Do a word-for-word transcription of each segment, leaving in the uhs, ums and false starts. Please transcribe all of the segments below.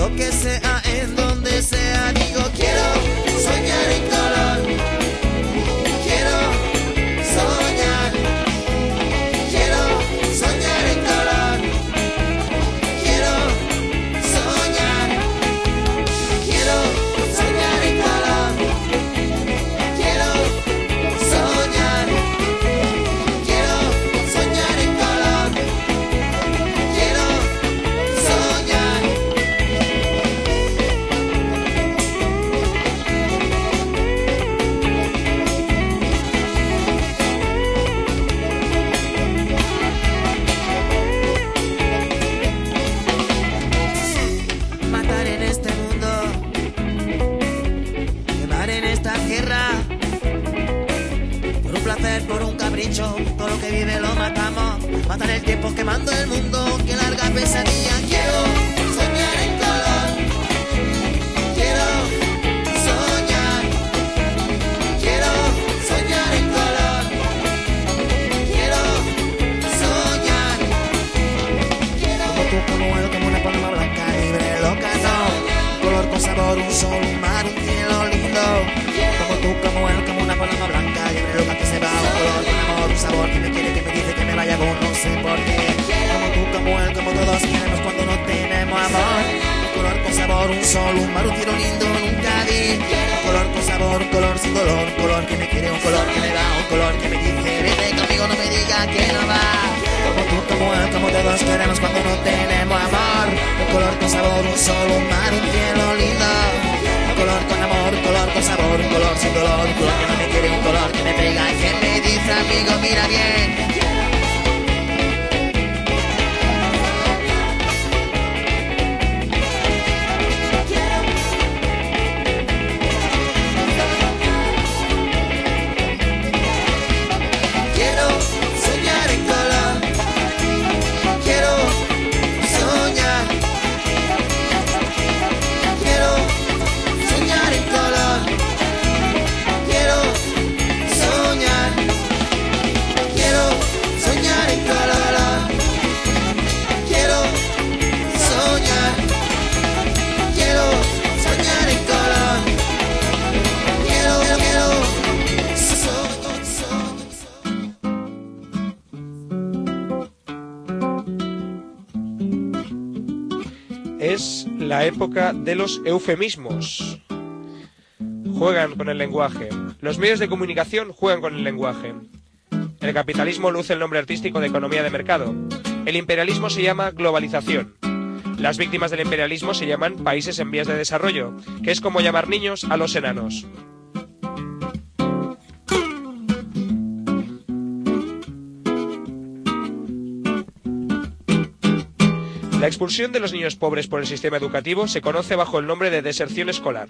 lo que sea, en donde sea. Digo, quiero soñar en color. Quiero soñar. Quiero soñar en color. Quiero soñar. Quiero soñar en color. Quiero soñar. Quiero soñar en color. Quiero soñar. Matar en este mundo, quemar en esta tierra, por un placer, por un capricho, todo lo que vive lo matamos. Matar el tiempo quemando el mundo, que larga pesadilla. Quiero soñar en color. Quiero soñar. Quiero soñar en color. Quiero soñar. Como tú, como él, como una paloma blanca, libre, loca, no. Un color con sabor, un sol, un mar, un cielo lindo. Como tú, como él, como una paloma blanca, libre, loca, que se va. Un color con amor, un sabor, que me quiere, que me dice que me vaya con no sé por qué. Como tú, como él, como todos queremos cuando no tenemos amor. Un color con sabor, un sol, un mar, un cielo lindo, nunca vi. Un color con sabor, un color sin dolor, un color que me quiere, un color que me da, un color que me dice, vete conmigo, no me diga que no va. Como tú, como él, como todos queremos cuando no tenemos amor. Un color con sabor, un sol, un mar, un cielo lindo. Un color con amor, un color con sabor, un color sin dolor, un color que no me quiere, un color que me pega y que me dice, amigo, mira bien. Quiero soñar en color. Quiero soñar. Quiero soñar en color. Quiero soñar. Quiero soñar en color. Quiero soñar. Quiero soñar en color. Quiero, quiero soñar, soñar. Es la época de los eufemismos. Juegan con el lenguaje. Los medios de comunicación juegan con el lenguaje. El capitalismo luce el nombre artístico de economía de mercado. El imperialismo se llama globalización. Las víctimas del imperialismo se llaman países en vías de desarrollo, que es como llamar niños a los enanos. La expulsión de los niños pobres por el sistema educativo se conoce bajo el nombre de deserción escolar.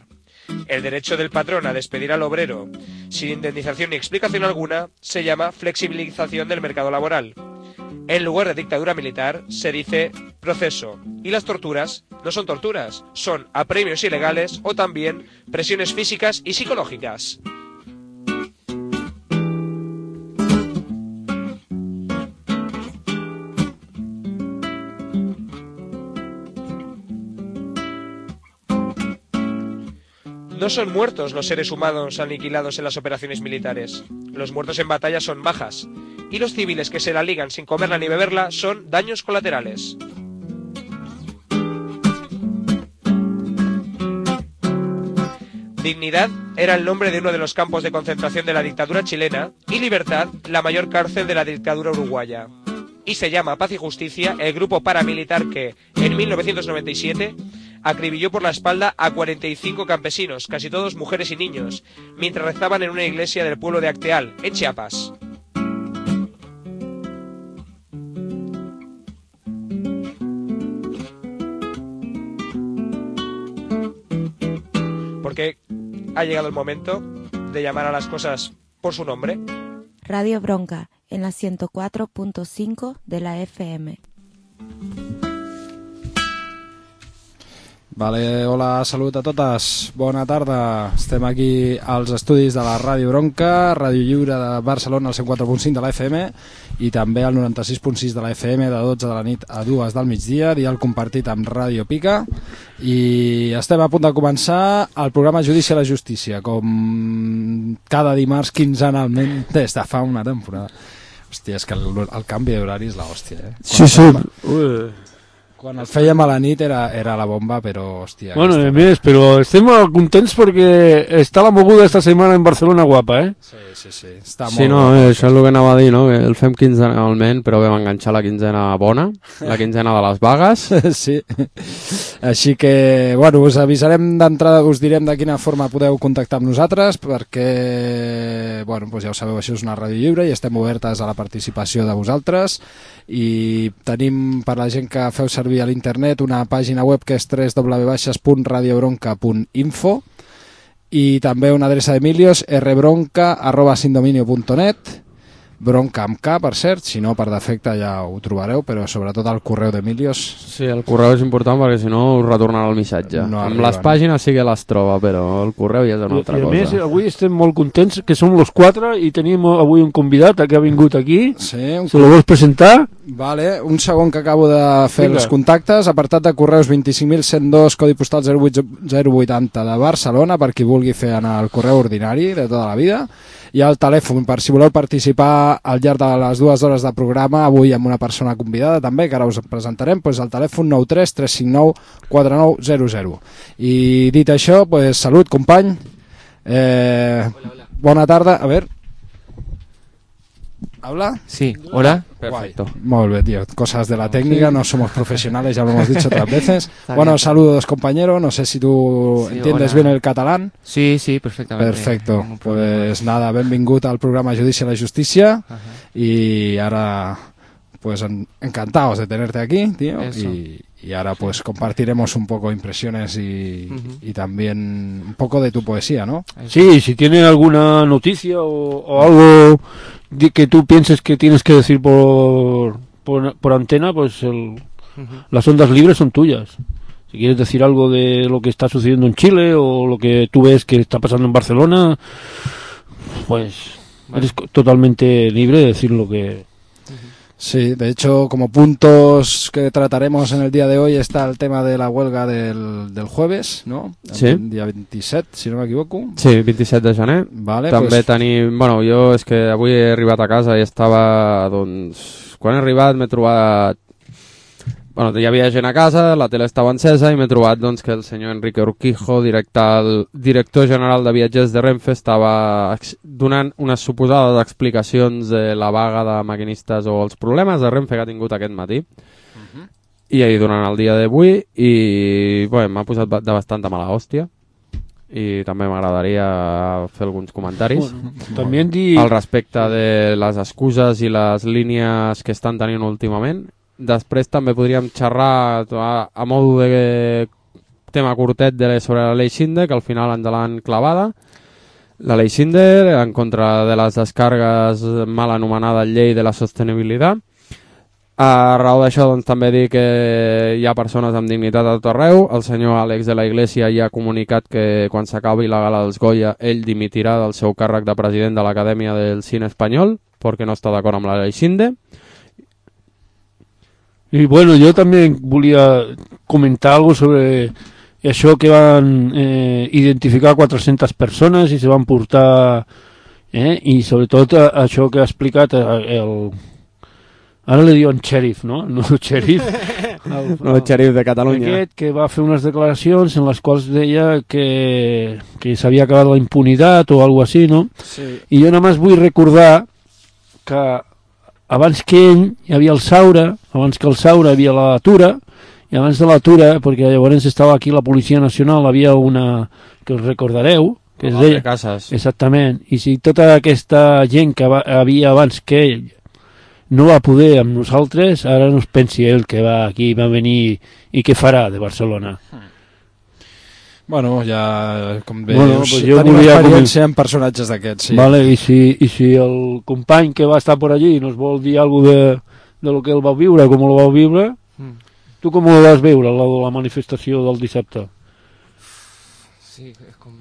El derecho del patrón a despedir al obrero sin indemnización ni explicación alguna se llama flexibilización del mercado laboral. En lugar de dictadura militar se dice proceso, y las torturas no son torturas, son apremios ilegales o también presiones físicas y psicológicas. No son muertos los seres humanos aniquilados en las operaciones militares. Los muertos en batalla son bajas, y los civiles que se la ligan sin comerla ni beberla son daños colaterales. Dignidad era el nombre de uno de los campos de concentración de la dictadura chilena y Libertad la mayor cárcel de la dictadura uruguaya. Y se llama Paz y Justicia el grupo paramilitar que, en mil novecientos noventa y siete, acribilló por la espalda a cuarenta y cinco campesinos, casi todos mujeres y niños, mientras rezaban en una iglesia del pueblo de Acteal, en Chiapas. Porque ha llegado el momento de llamar a las cosas por su nombre. Radio Bronca, en la ciento cuatro punto cinco de la F M. Vale, hola, salut a totes, bona tarda. Estem aquí als estudis de la Ràdio Bronca, Ràdio Lliure de Barcelona, al cent quatre punt cinc de la F M i també al noranta-sis punt sis de la F M de dotze de la nit a dues del migdia, dial compartit amb Ràdio Pica, i estem a punt de començar el programa Judici a la Justícia, com cada dimarts quinzenalment des de fa una temporada. Hòstia, és que el, el canvi d'horari és l'hòstia, eh? Sí, sí. Ui. Quan el fèiem a la nit era, era la bomba, però hòstia... Bueno, a més, però estem contents perquè està la moguda esta setmana en Barcelona guapa, eh? Sí, sí, sí. Està sí, molt no, guapa. eh, això és el que anava a dir, no? Que el fem quinzenalment, però vam enganxar la quinzena bona, la quinzena de les vagues. Sí. Així que, bueno, us avisarem d'entrada, us direm de quina forma podeu contactar amb nosaltres, perquè, bueno, doncs ja ho sabeu, això és una ràdio lliure i estem obertes a la participació de vosaltres, i tenim, per la gent que feu servir a l'internet, una pàgina web que és w w w punt radio bronca punt info i també una adreça d'Emilios, rbronca arroba sindominio punt net, bronca amb K, per cert, si no per defecte ja ho trobareu, però sobretot el correu d'Emilios. Sí, el correu és important perquè si no us retornarà el missatge. No amb arriben. les pàgines sí que les troba, però el correu ja és una altra I a cosa. més, avui estem molt contents que som los quatre i tenim avui un convidat que ha vingut aquí. Sí, un... Se lo vols presentar? Vale, un segon que acabo de fer Vinga. els contactes, apartat de correus vint-i-cinc mil cent dos, codi postal zero vuit zero vuitanta de Barcelona, per qui vulgui fer anar el correu ordinari de tota la vida, i el telèfon per si voleu participar al llarg de les dues hores de programa, avui amb una persona convidada també, que ara us presentarem, doncs el telèfon nou tres tres cinc nou quatre nou zero zero. I dit això, doncs salut, company. Eh, bona tarda, a veure. ¿Habla? Sí, hola. Perfecto. Guay. Muy bien, tío. Cosas de la técnica, no somos profesionales, ya lo hemos dicho otras veces. Está Bueno, bien. saludos, compañero. No sé si tú Sí, entiendes hola. bien el catalán. Sí, sí, perfectamente. Perfecto. Ningún problema. Pues nada, benvingut al programa Judici a la Justícia. Ajá. Y ahora, pues en- encantados de tenerte aquí, tío. Eso. Y, y ahora pues compartiremos un poco impresiones y, Ujú. y también un poco de tu poesía, ¿no? Sí, si tiene alguna noticia o, o algo de que tú pienses que tienes que decir por, por, por antena, pues el, Ujú. las ondas libres son tuyas. Si quieres decir algo de lo que está sucediendo en Chile o lo que tú ves que está pasando en Barcelona, pues Vale. eres co- totalmente libre de decir lo que... Sí, de hecho, como puntos que trataremos en el día de hoy está el tema de la huelga del, del jueves, ¿no? Sí. El día veintisiete, si no me equivoco. Sí, vint-i-set de gener. Vale, També pues, tenim... Bueno, jo és que avui he arribat a casa i estava, doncs... Quan he arribat m'he trobat... Bueno, hi havia gent a casa, la tele estava encesa i m'he trobat doncs, que el senyor Enrique Urquijo, director, director general de viatgers de Renfe, estava ex- donant unes suposades explicacions de la vaga de maquinistes o els problemes de Renfe que ha tingut aquest matí. I ahir durant el dia d'avui i bueno, m'ha posat ba- de bastanta mala hòstia i també m'agradaria fer alguns comentaris. Bueno, también di... Al respecte de les excuses i les línies que estan tenint últimament. Després també podríem xerrar a, a modo de tema curtet de, sobre la llei Schindler, que al final ens l'han clavada. La llei Schindler en contra de les descargues mal anomenada llei de la sostenibilitat. A raó d'això doncs, també dir que hi ha persones amb dignitat a tot arreu. El senyor Àlex de la Iglesia ja ha comunicat que quan s'acabi la gala dels Goya ell dimitirà del seu càrrec de president de l'Acadèmia del Cine Espanyol perquè no està d'acord amb la llei Schindler. Y bueno, yo también volia comentar algo sobre això que van eh, identificar quatre-centes persones i se van portar eh, i sobretot a, això que ha explicat el, el ara li diuen xèrif, no? No xèrif el, No, el xèrif de Catalunya. aquest que va fer unes declaracions en les quals deia que, que s'havia acabat la impunitat o alguna així, no? sí. I jo només vull recordar que abans que ell hi havia el Saura, abans que el Saura hi havia la Tura, i abans de la Tura, perquè llavors estava aquí la Policia Nacional, havia una que us recordareu, que es Altre deia... Casas. Exactament, i si tota aquesta gent que va, havia abans que ell no va poder amb nosaltres, ara no es pensi ell que va aquí, va venir i què farà de Barcelona. Bueno, ja, com bé Bueno, dius, pues jo tenim volia experiència en personatges d'aquests, sí. Vale, i si, i si el company que va estar por allí nos vol dir alguna de, de lo que ell va viure, com ho va viure, Mm. tu Tu com ho vas veure, la de la manifestació del dissabte? Sí, es, com...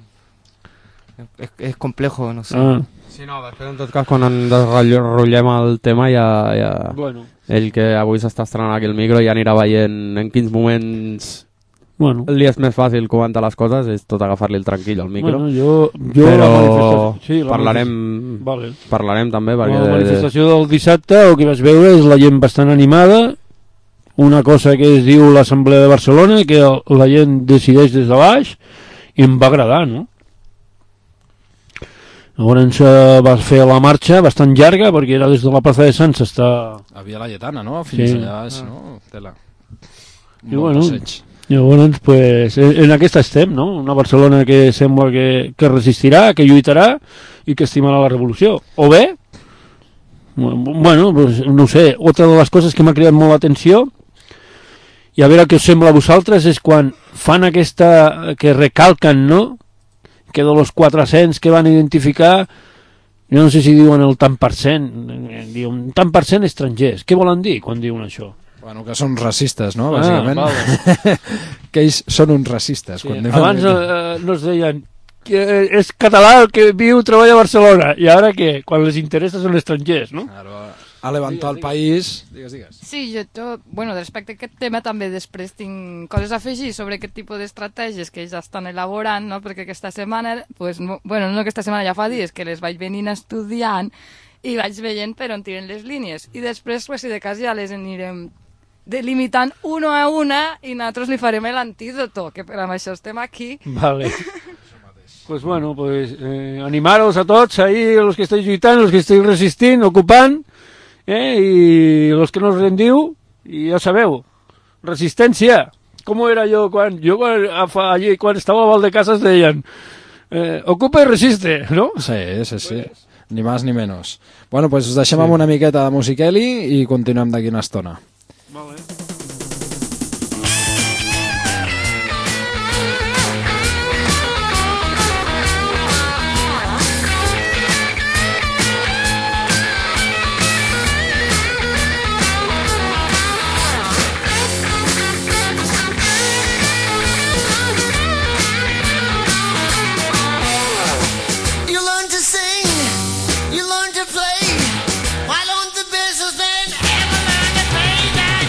es, es complejo, no sé. Ah. Sí, no, després en tot cas quan en desrotllem el tema ja, ja... Bueno. Ell que avui s'està estrenant aquí el micro ja anirà veient en quins moments bueno. li és més fàcil comentar les coses, és tot agafar-li el tranquil al micro. Bueno, jo, jo però la manifestació... Sí, la parlarem, manifestació... Vale. parlarem també perquè... La manifestació del dissabte, el que vaig veure és la gent bastant animada, una cosa que es diu l'Assemblea de Barcelona, que la gent decideix des de baix, i em va agradar, no? Llavors eh, va fer la marxa bastant llarga, perquè era des de la plaça de Sants està... A Via Laietana, no? Fins sí. allà baix, no? Tela. Un I bon bueno, passeig. llavors, pues, en aquesta estem, no? Una Barcelona que sembla que, que resistirà, que lluitarà i que estimarà la revolució. O bé, bueno, pues, no sé, otra de les coses que m'ha cridat molt l'atenció, i a veure què us sembla a vosaltres, és quan fan aquesta... que recalquen, no?, que de los quatre-cents que van identificar, jo no sé si diuen el tant per cent, diuen tant per cent estrangers. Què volen dir quan diuen això? Bueno, que són racistes, no? Bàsicament. Ah, vale. Que ells són uns racistes. Sí. Quan Abans eh, no es deien que és català el que viu, treballa a Barcelona, i ara què? Quan les interessa són estrangers, no? Claro, ha levantat el país... Digues, digues. Sí, jo, jo, bueno, respecte a aquest tema també després tinc coses a afegir sobre aquest tipus d'estratègies que ells estan elaborant, no? Perquè aquesta setmana, pues, no, bueno, no aquesta setmana, ja fa dies que les vaig venint estudiant i vaig veient per on tiren les línies. I després, pues, si de cas, ja les anirem delimitant una a una i nosaltres li farem l'antídoto, que per amb això estem aquí. Vale. Pues bueno, pues eh, animaros a tots ahí, los que estáis lluitant, los que estáis resistint, ocupant, eh, i los que no us rendiu, i ja sabeu, resistència. Com era jo quan, jo quan, allí, quan estava a Valdecases deien eh, ocupa i resiste, no? Sí, sí, sí. Ni más ni menos. Bueno, pues us deixem sí. amb una miqueta de musiqueli i continuem d'aquí una estona. Vale. Why don't the businessmen ever learn to pay that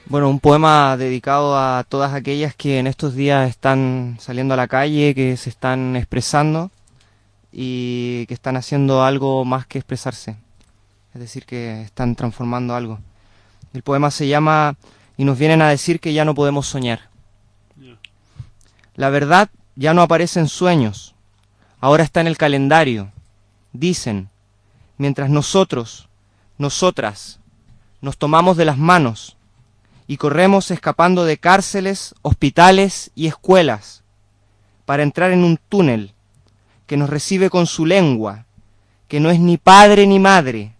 Bueno, un poema dedicado a todas aquellas que en estos días están saliendo a la calle, que se están expresando y que están haciendo algo más que expresarse. Es decir, que están transformando algo. El poema se llama Y nos vienen a decir que ya no podemos soñar. La verdad ya no aparece en sueños, ahora está en el calendario. Dicen, mientras nosotros, nosotras, nos tomamos de las manos y corremos escapando de cárceles, hospitales y escuelas para entrar en un túnel que nos recibe con su lengua, que no es ni padre ni madre,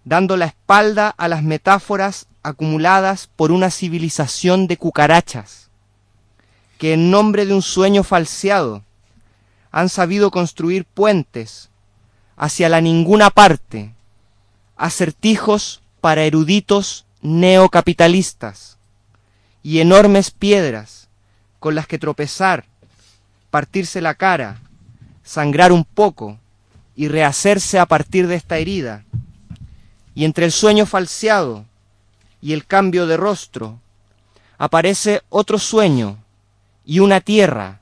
dando la espalda a las metáforas acumuladas por una civilización de cucarachas, que en nombre de un sueño falseado han sabido construir puentes hacia la ninguna parte, acertijos para eruditos neocapitalistas y enormes piedras con las que tropezar, partirse la cara, sangrar un poco y rehacerse a partir de esta herida. Y entre el sueño falseado y el cambio de rostro aparece otro sueño y una tierra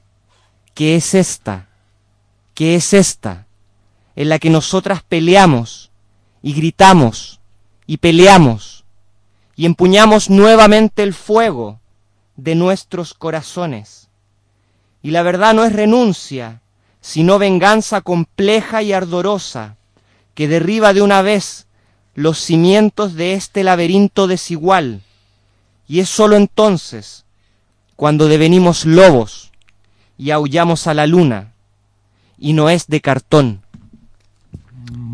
que es esta, que es esta, en la que nosotras peleamos y gritamos y peleamos y empuñamos nuevamente el fuego de nuestros corazones. Y la verdad no es renuncia, sino venganza compleja y ardorosa, que derriba de una vez los cimientos de este laberinto desigual, y es sólo entonces, cuando devenimos lobos y aullamos a la luna, i no és de cartón.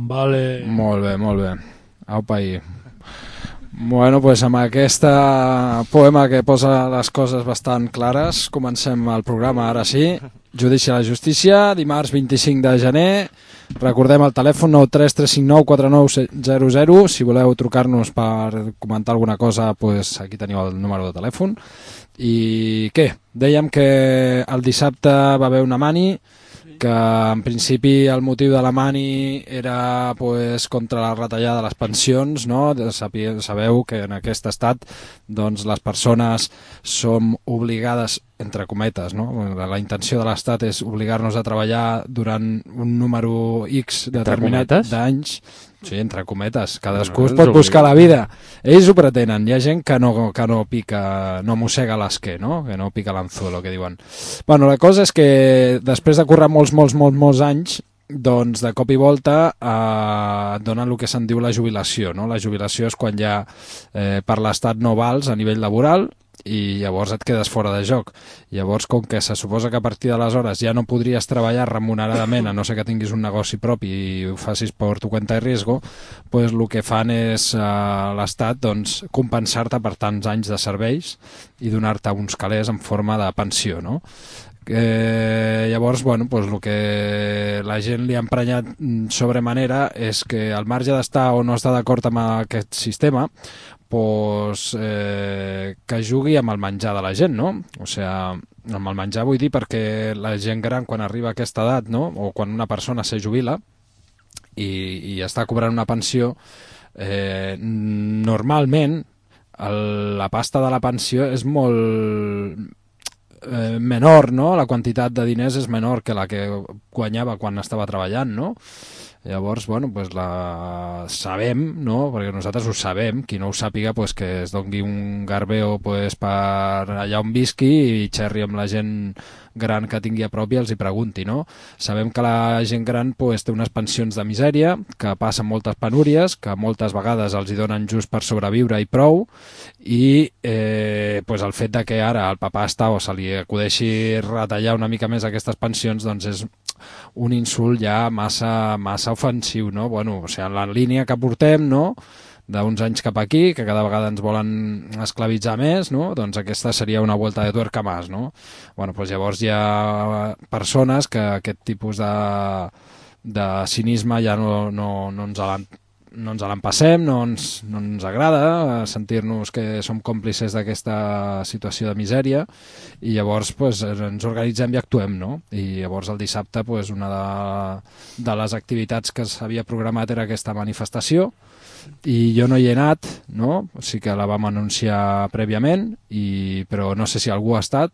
Vale. Molt bé, molt bé. Aupa ahí. Bueno, pues amb aquesta poema que posa les coses bastant clares, comencem el programa ara sí. Judici a la justícia, dimarts vint-i-cinc de gener. Recordem el telèfon nou tres tres cinc nou quatre nou zero zero. Si voleu trucar-nos per comentar alguna cosa, pues aquí teniu el número de telèfon. I què? Dèiem que el dissabte va haver una mani, que en principi el motiu de la mani era pues, contra la retallada de les pensions, no? Sabeu que en aquest estat doncs, les persones som obligades, entre cometes, no? La intenció de l'estat és obligar-nos a treballar durant un número X determinat d'anys. Sí, entre cometes, cadascú es pot buscar la vida. Ells ho pretenen, hi ha gent que no, que no pica, no mossega l'esquer, no? Que no pica l'anzuelo, que diuen. Bueno, la cosa és que després de currar molts, molts, molts, molts anys, doncs de cop i volta eh, donen el que se'n diu la jubilació, no? La jubilació és quan ja eh, per l'estat no vals a nivell laboral i llavors et quedes fora de joc. Llavors, com que se suposa que a partir d'aleshores ja no podries treballar remuneradament, a no ser que tinguis un negoci propi i ho facis per tu cuenta i riesgo, pues el que fan és eh, l'Estat doncs, compensar-te per tants anys de serveis i donar-te uns calés en forma de pensió, no? Eh, llavors, bueno, pues el que la gent li ha emprenyat sobremanera és que al marge d'estar o no estar d'acord amb aquest sistema, pues, eh, que jugui amb el menjar de la gent, no? O sigui, amb el menjar vull dir perquè la gent gran quan arriba a aquesta edat, no? O quan una persona se jubila i, i està cobrant una pensió, eh, normalment el, la pasta de la pensió és molt eh, menor, no? La quantitat de diners és menor que la que guanyava quan estava treballant, no? Llavors, bueno, pues la sabem, no? Perquè nosaltres ho sabem, qui no ho sàpiga, pues que es dongui un garbeo pues, per allà on visqui i xerri amb la gent gran que tingui a prop i els hi pregunti, no? Sabem que la gent gran pues, té unes pensions de misèria, que passen moltes penúries, que moltes vegades els hi donen just per sobreviure i prou, i eh, pues el fet de que ara el papà està o se li acudeixi retallar una mica més aquestes pensions, doncs és un insult ja massa, massa ofensiu, no? Bueno, o sigui, en la línia que portem, no?, d'uns anys cap aquí, que cada vegada ens volen esclavitzar més, no? Doncs aquesta seria una volta de tuerca més, no? Bueno, doncs llavors hi ha persones que aquest tipus de, de cinisme ja no, no, no ens l'han no ens l'empassem, no ens, no ens agrada sentir-nos que som còmplices d'aquesta situació de misèria i llavors pues, ens organitzem i actuem, no? I llavors el dissabte pues, una de, de les activitats que s'havia programat era aquesta manifestació i jo no hi he anat, no? O sigui que la vam anunciar prèviament, i, però no sé si algú ha estat.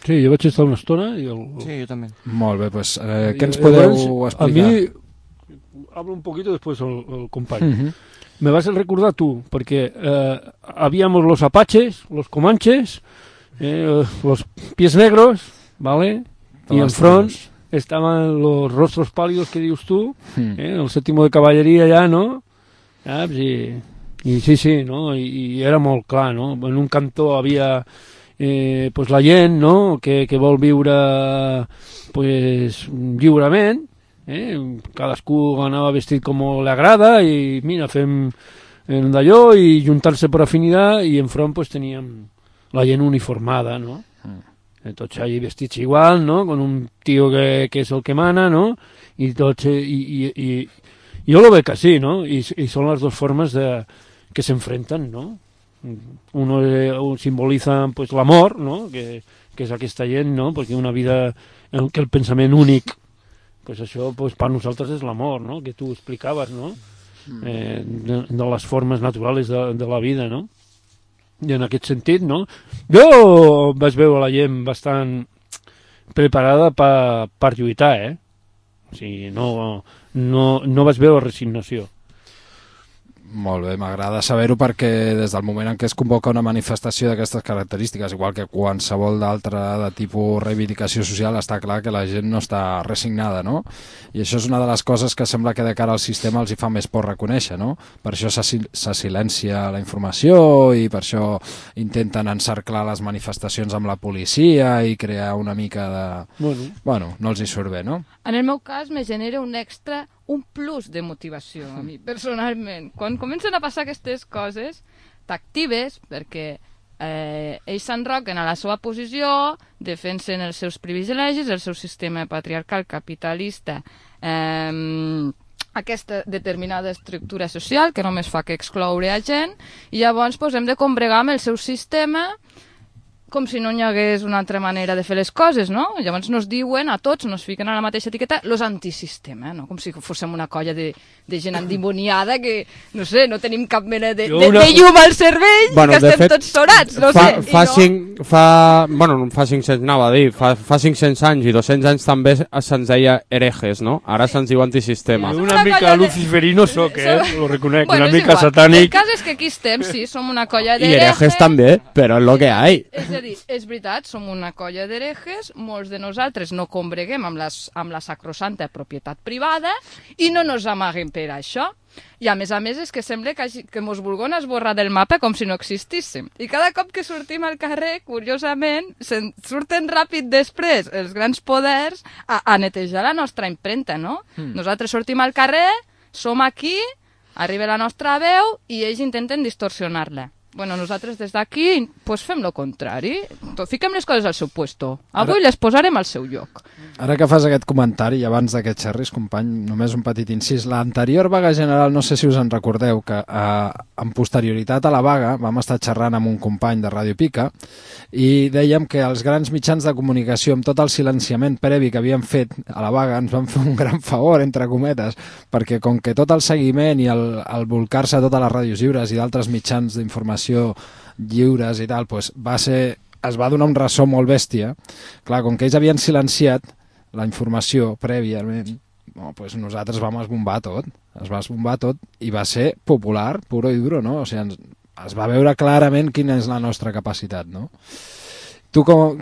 Sí, jo vaig estar una estona i el... Sí, jo també. Molt bé, pues, eh, què ens podeu explicar? A mi... Hablo un poquito después el, el compañero. Uh-huh. Me vas a recordar tú, porque eh, habíamos los apaches, los comanches, eh, los pies negros, ¿vale? Y en front estaban los rostros pálidos que dius tú, uh-huh. eh, el séptimo de caballeria ja, no? Saps? I, i sí, sí, no? I, i era molt clar, no? En un cantó havia eh, pues la gent, no? Que, que vol viure pues, lliurement, Eh? cadascú anava vestit com li agrada i mira, fem d'allò i juntar-se per afinitat i enfront pues, teníem la gent uniformada, no? Mm. Tots allí vestits igual, no? Con un tío que, que és el que mana, no? I tots, i, i, i jo lo veig així, no? I, i són les dues formes de, que s'enfrenten, no? Uno eh, simboliza pues, l'amor, no? Que, que és aquesta gent, no? Perquè una vida en què el pensament únic pues això pues, per nosaltres és l'amor, no? Que tu explicaves, no? Eh, de, de les formes naturals de, de la vida, no? I en aquest sentit, no? Jo vaig veure la gent bastant preparada per, per lluitar, eh? O sigui, no, no, no vaig veure resignació. Molt bé, m'agrada saber-ho perquè des del moment en què es convoca una manifestació d'aquestes característiques, igual que qualsevol d'altra de tipus reivindicació social, està clar que la gent no està resignada, no? I això és una de les coses que sembla que de cara al sistema els hi fa més por reconèixer, no? Per això se, se silencia la informació i per això intenten encerclar les manifestacions amb la policia i crear una mica de... Bueno, bueno no els hi surt bé, no? En el meu cas me genera un extra, un plus de motivació a mi, personalment. Quan comencen a passar aquestes coses, t'actives perquè eh, ells s'enroquen a la seva posició, defensen els seus privilegis, el seu sistema patriarcal capitalista, eh, aquesta determinada estructura social que només fa que excloure a gent, i llavors pues, hem de combregar amb el seu sistema com si no hi hagués una altra manera de fer les coses, no? Llavors nos diuen a tots, nos fiquen a la mateixa etiqueta, los antisistema, no? Com si fóssim una colla de, de gent endimoniada que, no sé, no tenim cap mena de, de, de llum al cervell, bueno, que estem fet, tots sorats, no fa, sé. Fa, no... cinc, fa, bueno, fa cinc-cents, anava a dir, fa, fa cinc-cents anys i dos-cents anys també se'ns deia herejes, no? Ara se'ns diu antisistema. Sí, una mica de... luciferino soc, eh? Lo reconec, bueno, una mica igual. satànic. El cas és que aquí estem, sí, som una colla d'herejes. I herejes també, però és lo que hay. És a dir, és veritat, som una colla d'herejes, molts de nosaltres no combreguem amb, les, amb la sacrosanta propietat privada i no nos amaguem per això. I a més a més és que sembla que, que mos vulguin esborrar del mapa com si no existíssim. I cada cop que sortim al carrer, curiosament, surten ràpid després els grans poders a, a netejar la nostra impremta, no? Mm. Nosaltres sortim al carrer, som aquí, arriba la nostra veu i ells intenten distorsionar-la. Bueno, nosaltres des d'aquí pues fem lo contrari, fiquem les coses al seu puesto. Avui ara, les posarem al seu lloc. Ara que fas aquest comentari, abans de que et xerris, company, només un petit incís. L'anterior vaga general, no sé si us en recordeu, que eh, en posterioritat a la vaga vam estar xerrant amb un company de Ràdio Pica i dèiem que els grans mitjans de comunicació, amb tot el silenciament previ que havíem fet a la vaga, ens van fer un gran favor, entre cometes, perquè com que tot el seguiment i el, el volcar-se a totes les ràdios lliures i d'altres mitjans d'informació lliures i tal, doncs va ser, es va donar un ressò molt bèstia. Clar, com que ells havien silenciat la informació prèviament, no, doncs nosaltres vam esbombar tot, es va esbombar tot i va ser popular, puro i duro, no? O sigui, ens, es va veure clarament quina és la nostra capacitat, no? Tu com...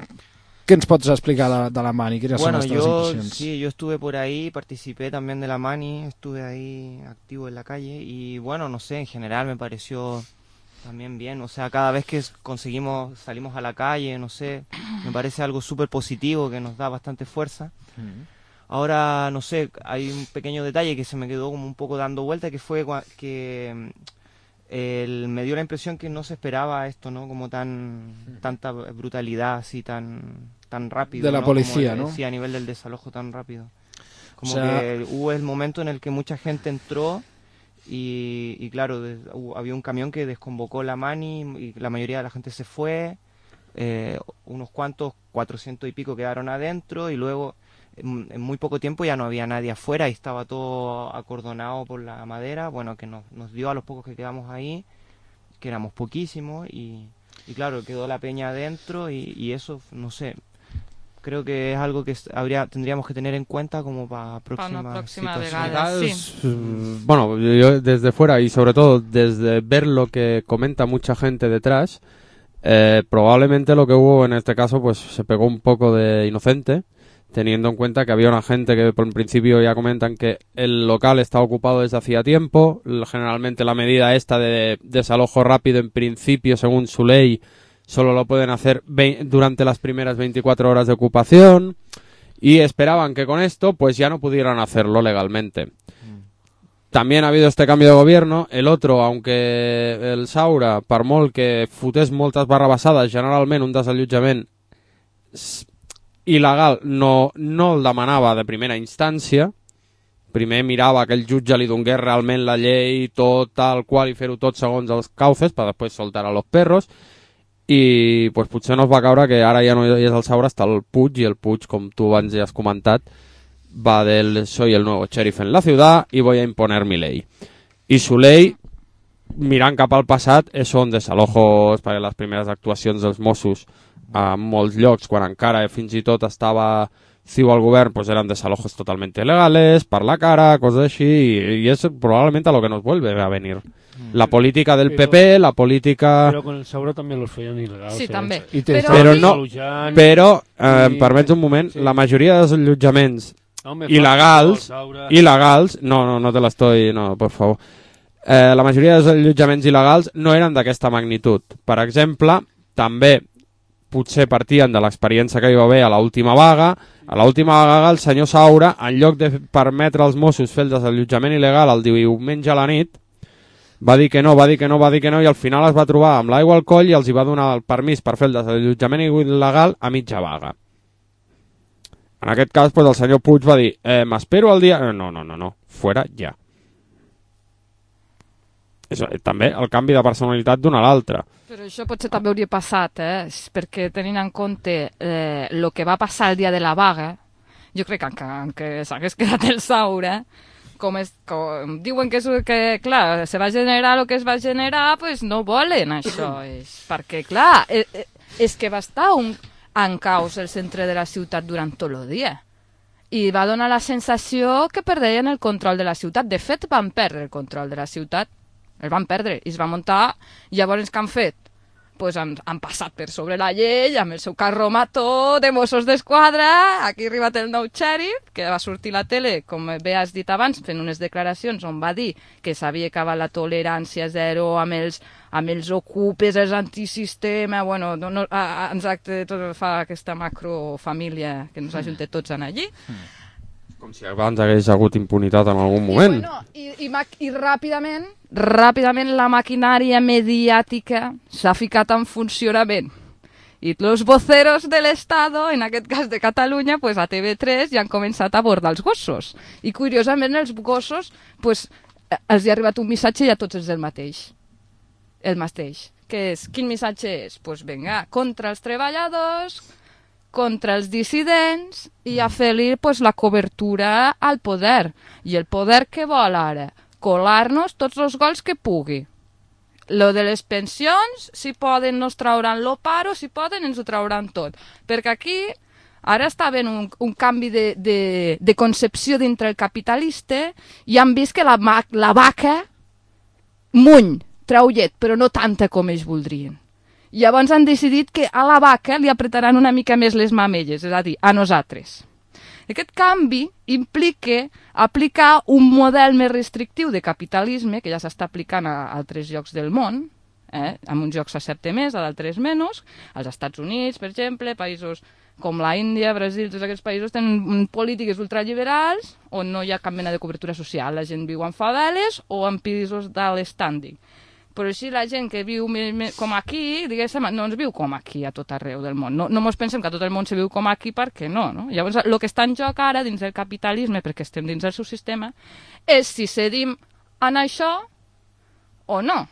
¿Qué ens pots explicar de, de la Mani? ¿Quiénes bueno, son nuestras yo, impresiones? Sí, yo estuve por ahí, participé también de la Mani, estuve ahí activo en la calle y bueno, no sé, en general me pareció también bien, o sea, cada vez que conseguimos, salimos a la calle, no sé, me parece algo súper positivo que nos da bastante fuerza. Uh-huh. Ahora, no sé, hay un pequeño detalle que se me quedó como un poco dando vuelta, que fue que el, me dio la impresión que no se esperaba esto, ¿no? Como tan uh-huh. tanta brutalidad así tan tan rápido, de la ¿no? policía, como, ¿no? Sí, a nivel del desalojo tan rápido. Como o sea... que hubo el momento en el que mucha gente entró y, y claro, de, uh, había un camión que desconvocó la mani y la mayoría de la gente se fue, eh, unos cuantos, cuatrocientos y pico quedaron adentro y luego en, en muy poco tiempo ya no había nadie afuera y estaba todo acordonado por la madera, bueno, que nos, nos dio a los pocos que quedamos ahí, que éramos poquísimos y, y claro, quedó la peña adentro y, y eso, no sé, creo que es algo que habría, tendríamos que tener en cuenta como para próximas para próxima situaciones. vegada, sí. Mm, Bueno, yo desde fuera y sobre todo desde ver lo que comenta mucha gente detrás, eh, probablemente lo que hubo en este caso pues se pegó un poco de inocente, teniendo en cuenta que había una gente que por principio ya comentan que el local está ocupado desde hacía tiempo, generalmente la medida esta de desalojo rápido en principio según su ley solo lo pueden hacer durante las primeras veinticuatro horas de ocupación y esperaban que con esto pues ya no pudieran hacerlo legalmente. También ha habido este cambio de gobierno, el otro, aunque el Saura, per molt que fotés moltes barrabassades, generalment un desallotjament il·legal no, no el demanava de primera instància, primer mirava que el jutge li donés realment la llei tot tal qual i fer-ho tot segons els cauces per després soltar a los perros, i pues, potser no es va caure que ara ja no és el Saura, està el Puig, i el Puig, com tu abans ja has comentat, va del soy el nuevo sheriff en la ciudad y voy a imponer mi ley. I su ley, mirant cap al passat, són desalojos per les primeres actuacions dels Mossos a molts llocs, quan encara fins i tot estava ciu al govern, pues eren desalojos totalmente legales, per la cara, coses així, i, y es probablemente a lo que nos vuelve a venir. La política del P P, la política... Però con el Saura també los feien il·legals. Sí, eh? també. I però però no, però, eh, i... em permets un moment, sí. La majoria dels allotjaments no, il·legals, il·legals, no, no, no te l'estoy, no, por favor, eh, la majoria dels allotjaments il·legals no eren d'aquesta magnitud. Per exemple, també potser partien de l'experiència que hi va haver a l'última vaga. A l'última vaga el senyor Saura, en lloc de permetre als Mossos fer el desallotjament il·legal el diumenge a la nit, va dir que no, va dir que no, va dir que no, i al final es va trobar amb l'aigua al coll i els hi va donar el permís per fer el desallotjament il·legal a mitja vaga. En aquest cas, pues, el senyor Puig va dir, eh, m'espero el dia... No, no, no, no, fuera ja. És, també el canvi de personalitat d'un a l'altre. Però això potser també hauria passat, eh? Perquè tenint en compte eh, el que va passar el dia de la vaga, jo crec que encara s'hagués quedat el Saura, com, és, com diuen que, és, que clar, se va generar el que es va generar, pues no volen això, és, perquè clar, és, és que va estar un, en caos el centre de la ciutat durant tot el dia i va donar la sensació que perdien el control de la ciutat. De fet, van perdre el control de la ciutat, el van perdre i es va muntar. Llavors què han fet? Pues han, han passat per sobre la llei amb el seu carro mató de Mossos d'Esquadra. Aquí ha arribat el nou xèrif, que va sortir a la tele, com bé has dit abans, fent unes declaracions on va dir que s'havia acabat la tolerància zero amb els, amb els ocupes, els antisistema, bueno, no, no, a, a, exacte, tot fa aquesta macrofamília que ens ajunta tots en allí. Com si abans hagués hagut impunitat en algun moment. I, bueno, i, i, i ràpidament, ràpidament la maquinària mediàtica s'ha ficat en funcionament. I els voceros de l'Estado, en aquest cas de Catalunya, pues a T V tres ja han començat a abordar els gossos. I curiosament els gossos, pues, els hi ha arribat un missatge i a tots és el mateix. El mateix. Que és, quin missatge és? Pues vinga, contra els treballadors, contra els dissidents i a fer-li pues, la cobertura al poder. I el poder què vol ara? Colar-nos tots els gols que pugui. Lo de les pensions, si poden nos trauran lo paro, si poden ens ho trauran tot. Perquè aquí ara està havent un, un canvi de, de, de concepció dintre el capitalista i han vist que la, la vaca muny, treu llet, però no tanta com ells voldrien. Llavors han decidit que a la vaca li apretaran una mica més les mamelles, és a dir, a nosaltres. Aquest canvi implica aplicar un model més restrictiu de capitalisme, que ja s'està aplicant a altres llocs del món, eh? En uns llocs s'accepta més, a d'altres menys. Als Estats Units, per exemple, països com la Índia, Brasil, tots aquests països tenen polítiques ultraliberals on no hi ha cap mena de cobertura social. La gent viu en faveles o en pisos d'alt standing. Però així la gent que viu com aquí, diguéssim, no ens viu com aquí a tot arreu del món. No, no ens pensem que a tot el món se viu com aquí perquè no, no? Llavors, el que està en joc ara dins del capitalisme, perquè estem dins del seu sistema, és si cedim en això o no.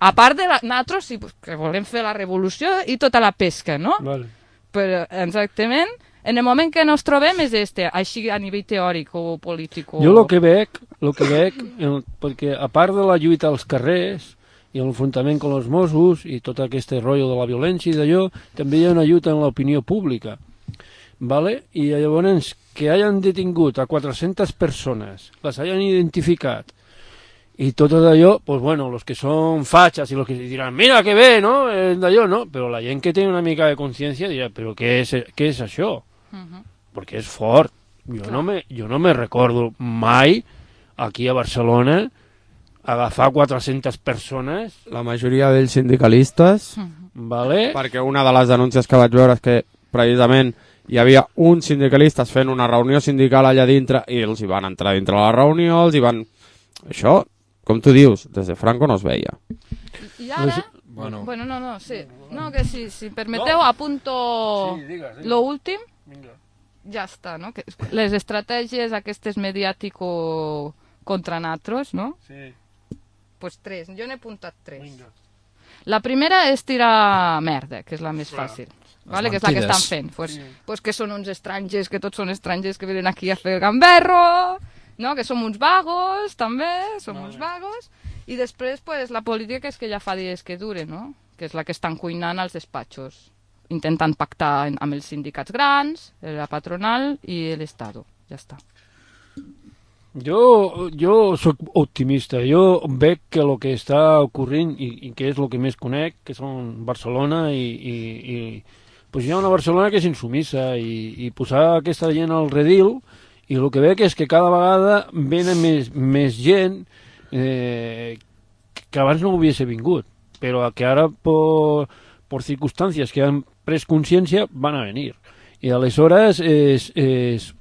A part de la, nosaltres sí, que volem fer la revolució i tota la pesca, no? Vale. Però exactament, en el moment que ens trobem és este, així a nivell teòric o polític. O... Jo el que veig, el que veig el, perquè a part de la lluita als carrers i l'enfrontament amb els Mossos i tot aquest rotllo de la violència i d'allò, també hi ha una lluita en l'opinió pública. Vale? I llavors que hayan detingut a quatre-centes persones, les hayan identificat i tot d'allò, pues bueno, los que són fachas i los que diran, mira que bé, no? Eh, d'allò, no? Però la gent que té una mica de consciència dirà, però què és, què és això? Uh-huh. Perquè és fort. Jo no, me, jo no me recordo mai aquí a Barcelona agafar quatre-centes persones. La majoria d'ells sindicalistes. Uh-huh. Vale? Perquè una de les denúncies que vaig veure és que precisament hi havia uns sindicalistes fent una reunió sindical allà dintre i els hi van entrar dintre la reunió, els hi van... Això, com tu dius, des de Franco no es veia. I ara... Bueno, bueno no, no, sí. No, que si, si permeteu, no. apunto sí, digues, digues. lo últim. Vinga. Ja està, no? Que les estratègies aquestes mediàtico contra natros, no? Sí. Pues tres, jo n'he apuntat tres. Vinga. La primera és tirar merda, que és la més Clar. fàcil. Vale, que és la que estan fent. Pues, sí. pues que són uns estrangers, que tots són estrangers que venen aquí a fer el gamberro, no? Que som uns vagos, també, som vale. uns vagos. I després, pues, la política és que ja fa dies que dure, no? Que és la que estan cuinant als despatxos, intentant pactar amb els sindicats grans, la patronal i l'Estado. Ja està. Jo, jo soc optimista. Jo veig que el que està ocorrint i, i que és el que més conec, que són Barcelona i, i, i pues hi ha una Barcelona que és insumissa i, i posar aquesta gent al redil i el que veig és que cada vegada venen més, més gent eh, que abans no hubiese vingut, però que ara per, per circumstàncies que han pres consciència van a venir. I aleshores és, és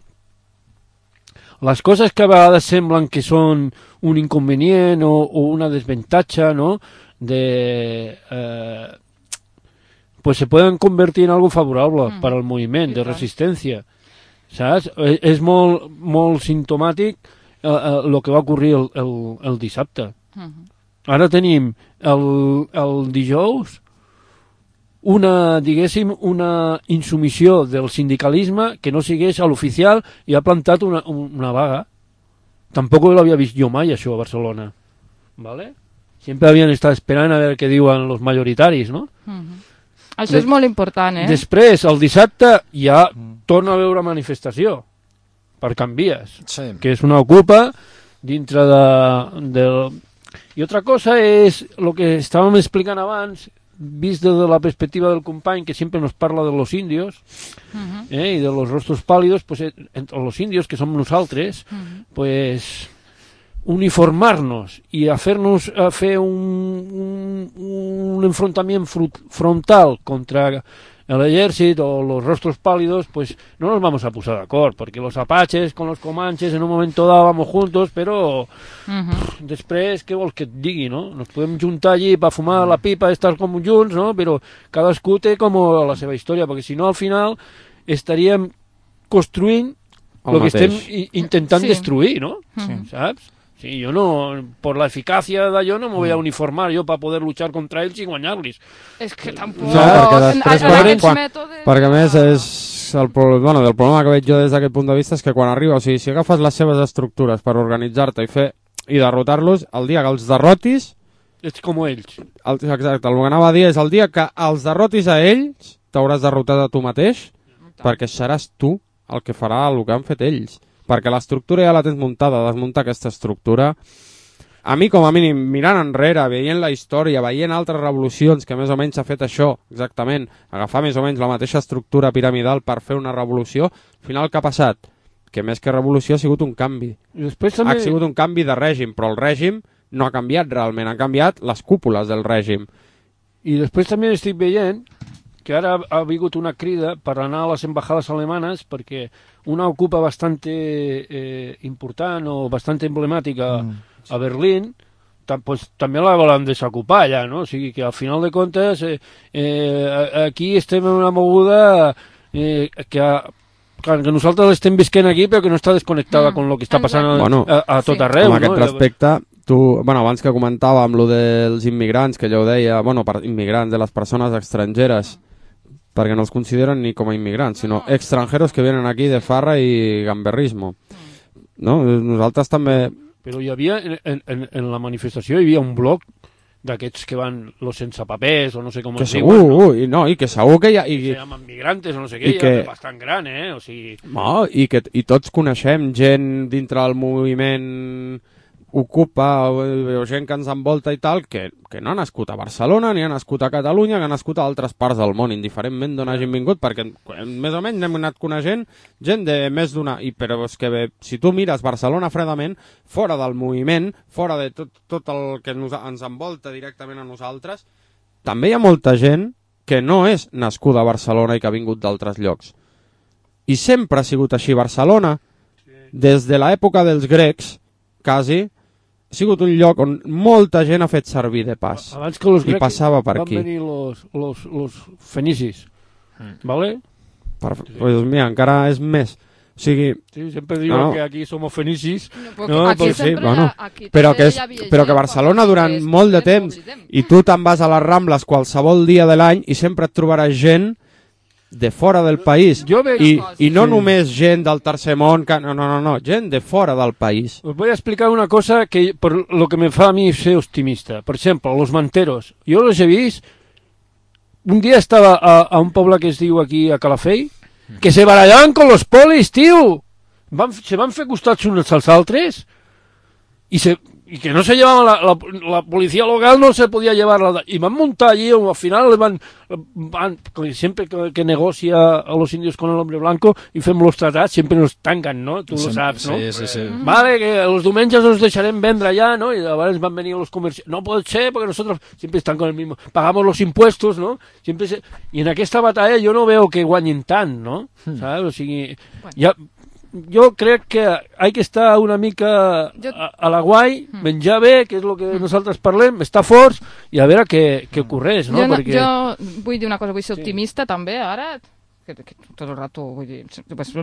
les coses que a vegades semblen que són un inconvenient o, o una desventaja, ¿no? de, eh, pues se pueden convertir en algo favorable mm. para el moviment de resistència. Saps? És molt, molt simptomàtic el eh, eh, que va ocorrir el, el, el dissabte. Mm-hmm. Ara tenim el, el dijous una, diguéssim, una insumissió del sindicalisme que no sigués a l'oficial i ha plantat una, una vaga. Tampoc l'havia vist jo mai, això, a Barcelona. ¿Vale? Sempre havien estat esperant a veure què diuen els majoritaris, no? Mm-hmm. Això és molt important, eh? Després, el dissabte, ja torna a veure manifestació per Canvies, sí. que és una ocupa dintre de, de... I altra cosa és el que estàvem explicant abans, vist des de la perspectiva del company que sempre nos parla de los indios uh-huh. eh, i de los rostros pálidos, pues, entre los indios, que som nosaltres, uh-huh. pues... uniformar-nos i a fer-nos a fer un, un, un enfrontament frontal contra l'exèrcit o los rostros pálidos, pues no nos vamos a posar d'acord, perquè los apaches con los comanches en un moment dado vamos juntos, però uh-huh. pff, després, què vols que et digui, no? Nos podem juntar allí per fumar la pipa, estar com junts, no? Però cadascú té com la seva història, perquè si no al final estaríem construint el que estem intentant sí. destruir, no? Sí. Saps? Sí, yo no, por la eficacia d'allò no me voy a uniformar yo para poder luchar contra ells i guanyar-los. És que tampoc... No, perquè després, quan, quan, mètodes... perquè a més és el, bueno, el problema que veig jo des d'aquest punt de vista és que quan arriba, o sigui, si agafes les seves estructures per organitzar-te i fer i derrotar-los, el dia que els derrotis... Ets com ells. El, exacte, el que anava a dir és el dia que els derrotis a ells, t'hauràs derrotat a tu mateix, perquè seràs tu el que farà el que han fet ells. Perquè l'estructura ja la tens muntada, desmuntar aquesta estructura. A mi, com a mínim, mirant enrere, veient la història, veient altres revolucions que més o menys s'ha fet això, exactament, agafar més o menys la mateixa estructura piramidal per fer una revolució, al final què ha passat? Que més que revolució ha sigut un canvi. I després també... Ha sigut un canvi de règim, però el règim no ha canviat realment, han canviat les cúpules del règim. I després també estic veient que ara ha vingut una crida per anar a les embajades alemanes perquè una ocupa bastante eh, important o bastante emblemàtica mm. a Berlín, pues, també la volen desocupar ja, no? O sigui que al final de comptes eh, eh, aquí estem en una moguda eh, que, que nosaltres l'estem visquent aquí però que no està desconnectada mm. amb el que està passant a, bueno, a, a tot arreu. Amb aquest no? respecte, tu, bueno, abans que comentàvem lo dels immigrants, que ja ho deia, bueno, per immigrants, de les persones estrangeres, perquè no els consideren ni com a immigrants, sinó extranjeros que venen aquí de farra i gamberrismo. No? Nosaltres també... Però hi havia, en, en, en la manifestació hi havia un bloc d'aquests que van los sense papers o no sé com que es segur, diuen, no? I, no, i que segur que hi ha... I, que se llamen migrantes o no sé què, que, ja bastant gran, eh? O sigui... No, i que i tots coneixem gent dintre del moviment Ocupa o, o gent que ens envolta i tal, que, que no ha nascut a Barcelona ni ha nascut a Catalunya, que ha nascut a altres parts del món, indiferentment d'on hagin vingut, perquè més o menys hem anat coneixent gent de més d'una... I, però és que bé, si tu mires Barcelona fredament, fora del moviment, fora de tot, tot el que nos, ens envolta directament a nosaltres, també hi ha molta gent que no és nascuda a Barcelona i que ha vingut d'altres llocs. I sempre ha sigut així Barcelona, des de l'època dels grecs, quasi, ha sigut un lloc on molta gent ha fet servir de pas. Abans que los i passava per van aquí. Van venir los, los, los fenicis, mm. ¿vale? Per, pues mira, encara és més. O sigui... Sí, sempre diuen no, que aquí somos fenicis. No, no, aquí sí, sempre bueno, aquí però, que és, però que Barcelona durant molt de temps, i tu te'n vas a les Rambles qualsevol dia de l'any i sempre et trobaràs gent de fora del país, i, i no sí. només gent del tercer món, que, no, no, no, no, gent de fora del país. Os voy a explicar una cosa que por lo que me fa a mí ser optimista. Por ejemplo, los manteros. Yo los he vist. Un día estaba a, a un poble que es diu aquí a Calafell, que se barallaban con los polis, tío. Van, se van fer costats uns als altres y se... y que no se llevaban la, la, la policía local no se podía llevar la, y van montar allí, al final van, van siempre que, que negocia a los indios con el hombre blanco y fem los tratats, siempre nos tancan, ¿no? Tú sí, lo sabes, ¿no? Sí, sí, sí. Vale, que los diumenges nos dejarem vendre allá, ¿no? Y ahora van venir los comercios, no puede ser porque nosotros siempre están con el mismo, pagamos los impuestos, ¿no? Siempre se... y en aquesta batalla yo no veo que guanyen tant, ¿no? Hmm. ¿Sabes? O sigui, bueno. ja jo crec que hay que estar una mica jo... a, a la guai, mm. menjar bé, que és el que nosaltres parlem, estar forts i a veure què, què ocorreix, no? Jo, no, Perquè... jo vull dir una cosa, vull ser sí. optimista també, ara, que, que tot el rato, vull dir,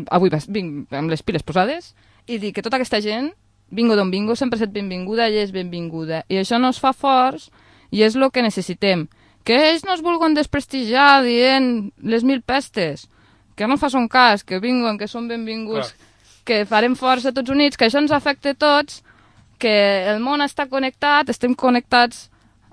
avui vinc amb les piles posades i dir que tota aquesta gent, vingo d'on vingo, sempre ha estat benvinguda i és benvinguda. I això no es fa forts i és el que necessitem. Que ells no es vulguin desprestigiar dient les mil pestes, que no fa son cas, que vinguen, que són benvinguts, clar. Que farem força tots units, que això ens afecta a tots, que el món està connectat, estem connectats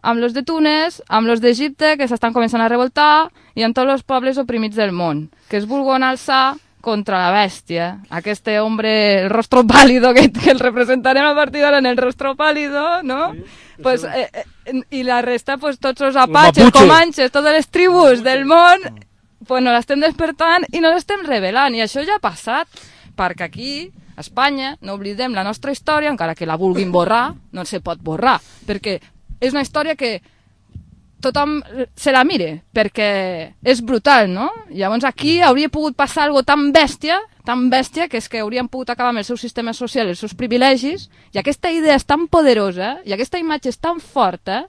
amb los de Túnez, amb los d'Egipte, que s'estan començant a revoltar, i amb tots els pobles oprimits del món, que es vulguin alçar contra la bèstia. Aquest hombre, el rostro pálido, que, que el representarem a partir d'ara en el rostro pálido, no? Sí, pues, eh, eh, i la resta, pues, tots els apatxes, comanxes, totes les tribus del món, pues no l'estem despertant i no l'estem revelant, i això ja ha passat, perquè aquí, a Espanya, no oblidem la nostra història, encara que la vulguin borrar, no se pot borrar, perquè és una història que tothom se la mire, perquè és brutal, no? Llavors aquí hauria pogut passar algo tan bèstia, tan bèstia, que és que haurien pogut acabar amb el seu sistema social, els seus privilegis, i aquesta idea és tan poderosa, i aquesta imatge és tan forta,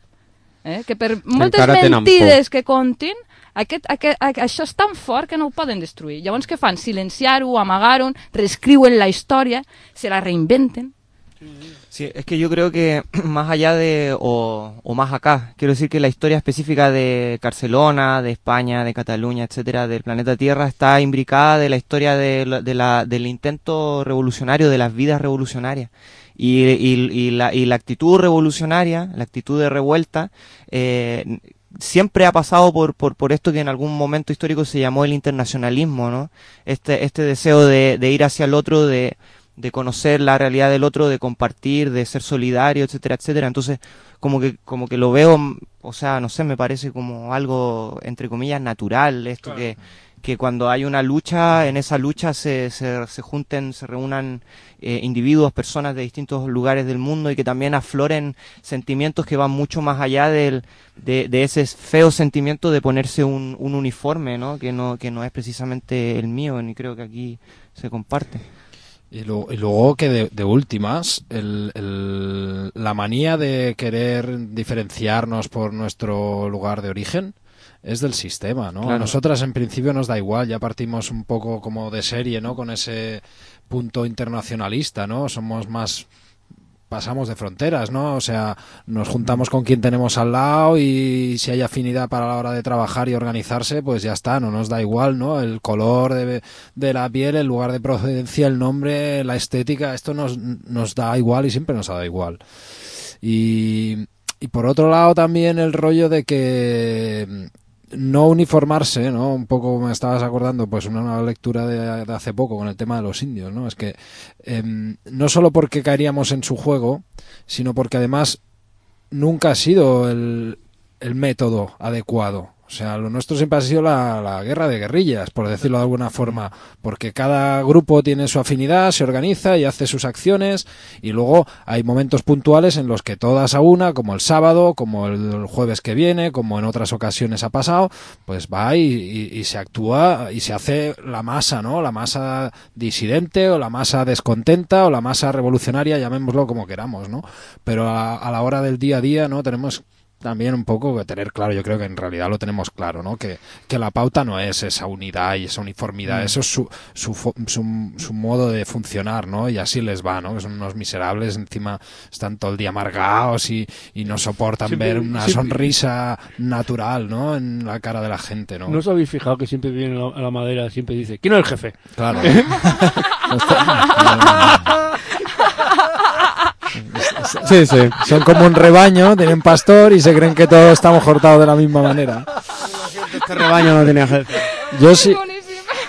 eh, que per moltes mentides que contin, Aquest, aquest, això és tan fort que no ho poden destruir. Llavors què fan? Silenciar-ho, amagar-ho, reescriuen la història, se la reinventen. Sí, es que yo creo que más allá de, o, o más acá, quiero decir que la historia específica de Barcelona, de España, de Cataluña, etcétera, del planeta Tierra, está imbricada de la historia de, de la, del intento revolucionario, de las vidas revolucionarias. Y, y, y, la, y la actitud revolucionaria, la actitud de revuelta, eh, siempre ha pasado por, por, por esto que en algún momento histórico se llamó el internacionalismo, ¿no? Este, este deseo de, de ir hacia el otro, de, de conocer la realidad del otro, de compartir, de ser solidario, etcétera, etcétera. Entonces, como que, como que lo veo, o sea, no sé, me parece como algo, entre comillas, natural, esto claro. que, que cuando hay una lucha, en esa lucha se, se, se junten, se reúnan eh, individuos, personas de distintos lugares del mundo y que también afloren sentimientos que van mucho más allá del, de, de ese feo sentimiento de ponerse un, un uniforme, ¿no? Que no, que no es precisamente el mío, ni creo que aquí se comparte. Y luego, y luego que de, de últimas, el, el, la manía de querer diferenciarnos por nuestro lugar de origen es del sistema, ¿no? Claro. A nosotras en principio nos da igual, ya partimos un poco como de serie, ¿no? Con ese punto internacionalista, ¿no? Somos más pasamos de fronteras, ¿no? O sea, nos juntamos con quien tenemos al lado y si hay afinidad para la hora de trabajar y organizarse, pues ya está, no nos da igual, ¿no? El color de, de la piel, el lugar de procedencia, el nombre, la estética, esto nos, nos da igual y siempre nos ha dado igual. Y, y por otro lado también el rollo de que no uniformarse, ¿no? Un poco me estabas acordando, pues una, una lectura de, de hace poco con el tema de los indios, ¿no? Es que eh, no solo porque caeríamos en su juego, sino porque además nunca ha sido el, el método adecuado. O sea, lo nuestro siempre ha sido la, la guerra de guerrillas, por decirlo de alguna forma, porque cada grupo tiene su afinidad, se organiza y hace sus acciones, y luego hay momentos puntuales en los que todas a una, como el sábado, como el jueves que viene, como en otras ocasiones ha pasado, pues va y, y, y se actúa y se hace la masa, ¿no? La masa disidente o la masa descontenta o la masa revolucionaria, llamémoslo como queramos, ¿no? Pero a, a la hora del día a día, ¿no? Tenemos también un poco que tener claro, yo creo que en realidad lo tenemos claro, ¿no? Que, que la pauta no es esa unidad y esa uniformidad, mm. eso es su, su, su, su modo de funcionar, ¿no? Y así les va, ¿no? Que son unos miserables, encima están todo el día amargados y, y no soportan siempre, ver una siempre, sonrisa natural, ¿no? En la cara de la gente, ¿no? ¿No os habéis fijado que siempre viene a la madera, siempre dice, ¿quién es el jefe? Claro. Sí, sí. Son como un rebaño, tienen pastor y se creen que todos estamos cortados de la misma manera. Este rebaño no tenía jefe. Yo sí.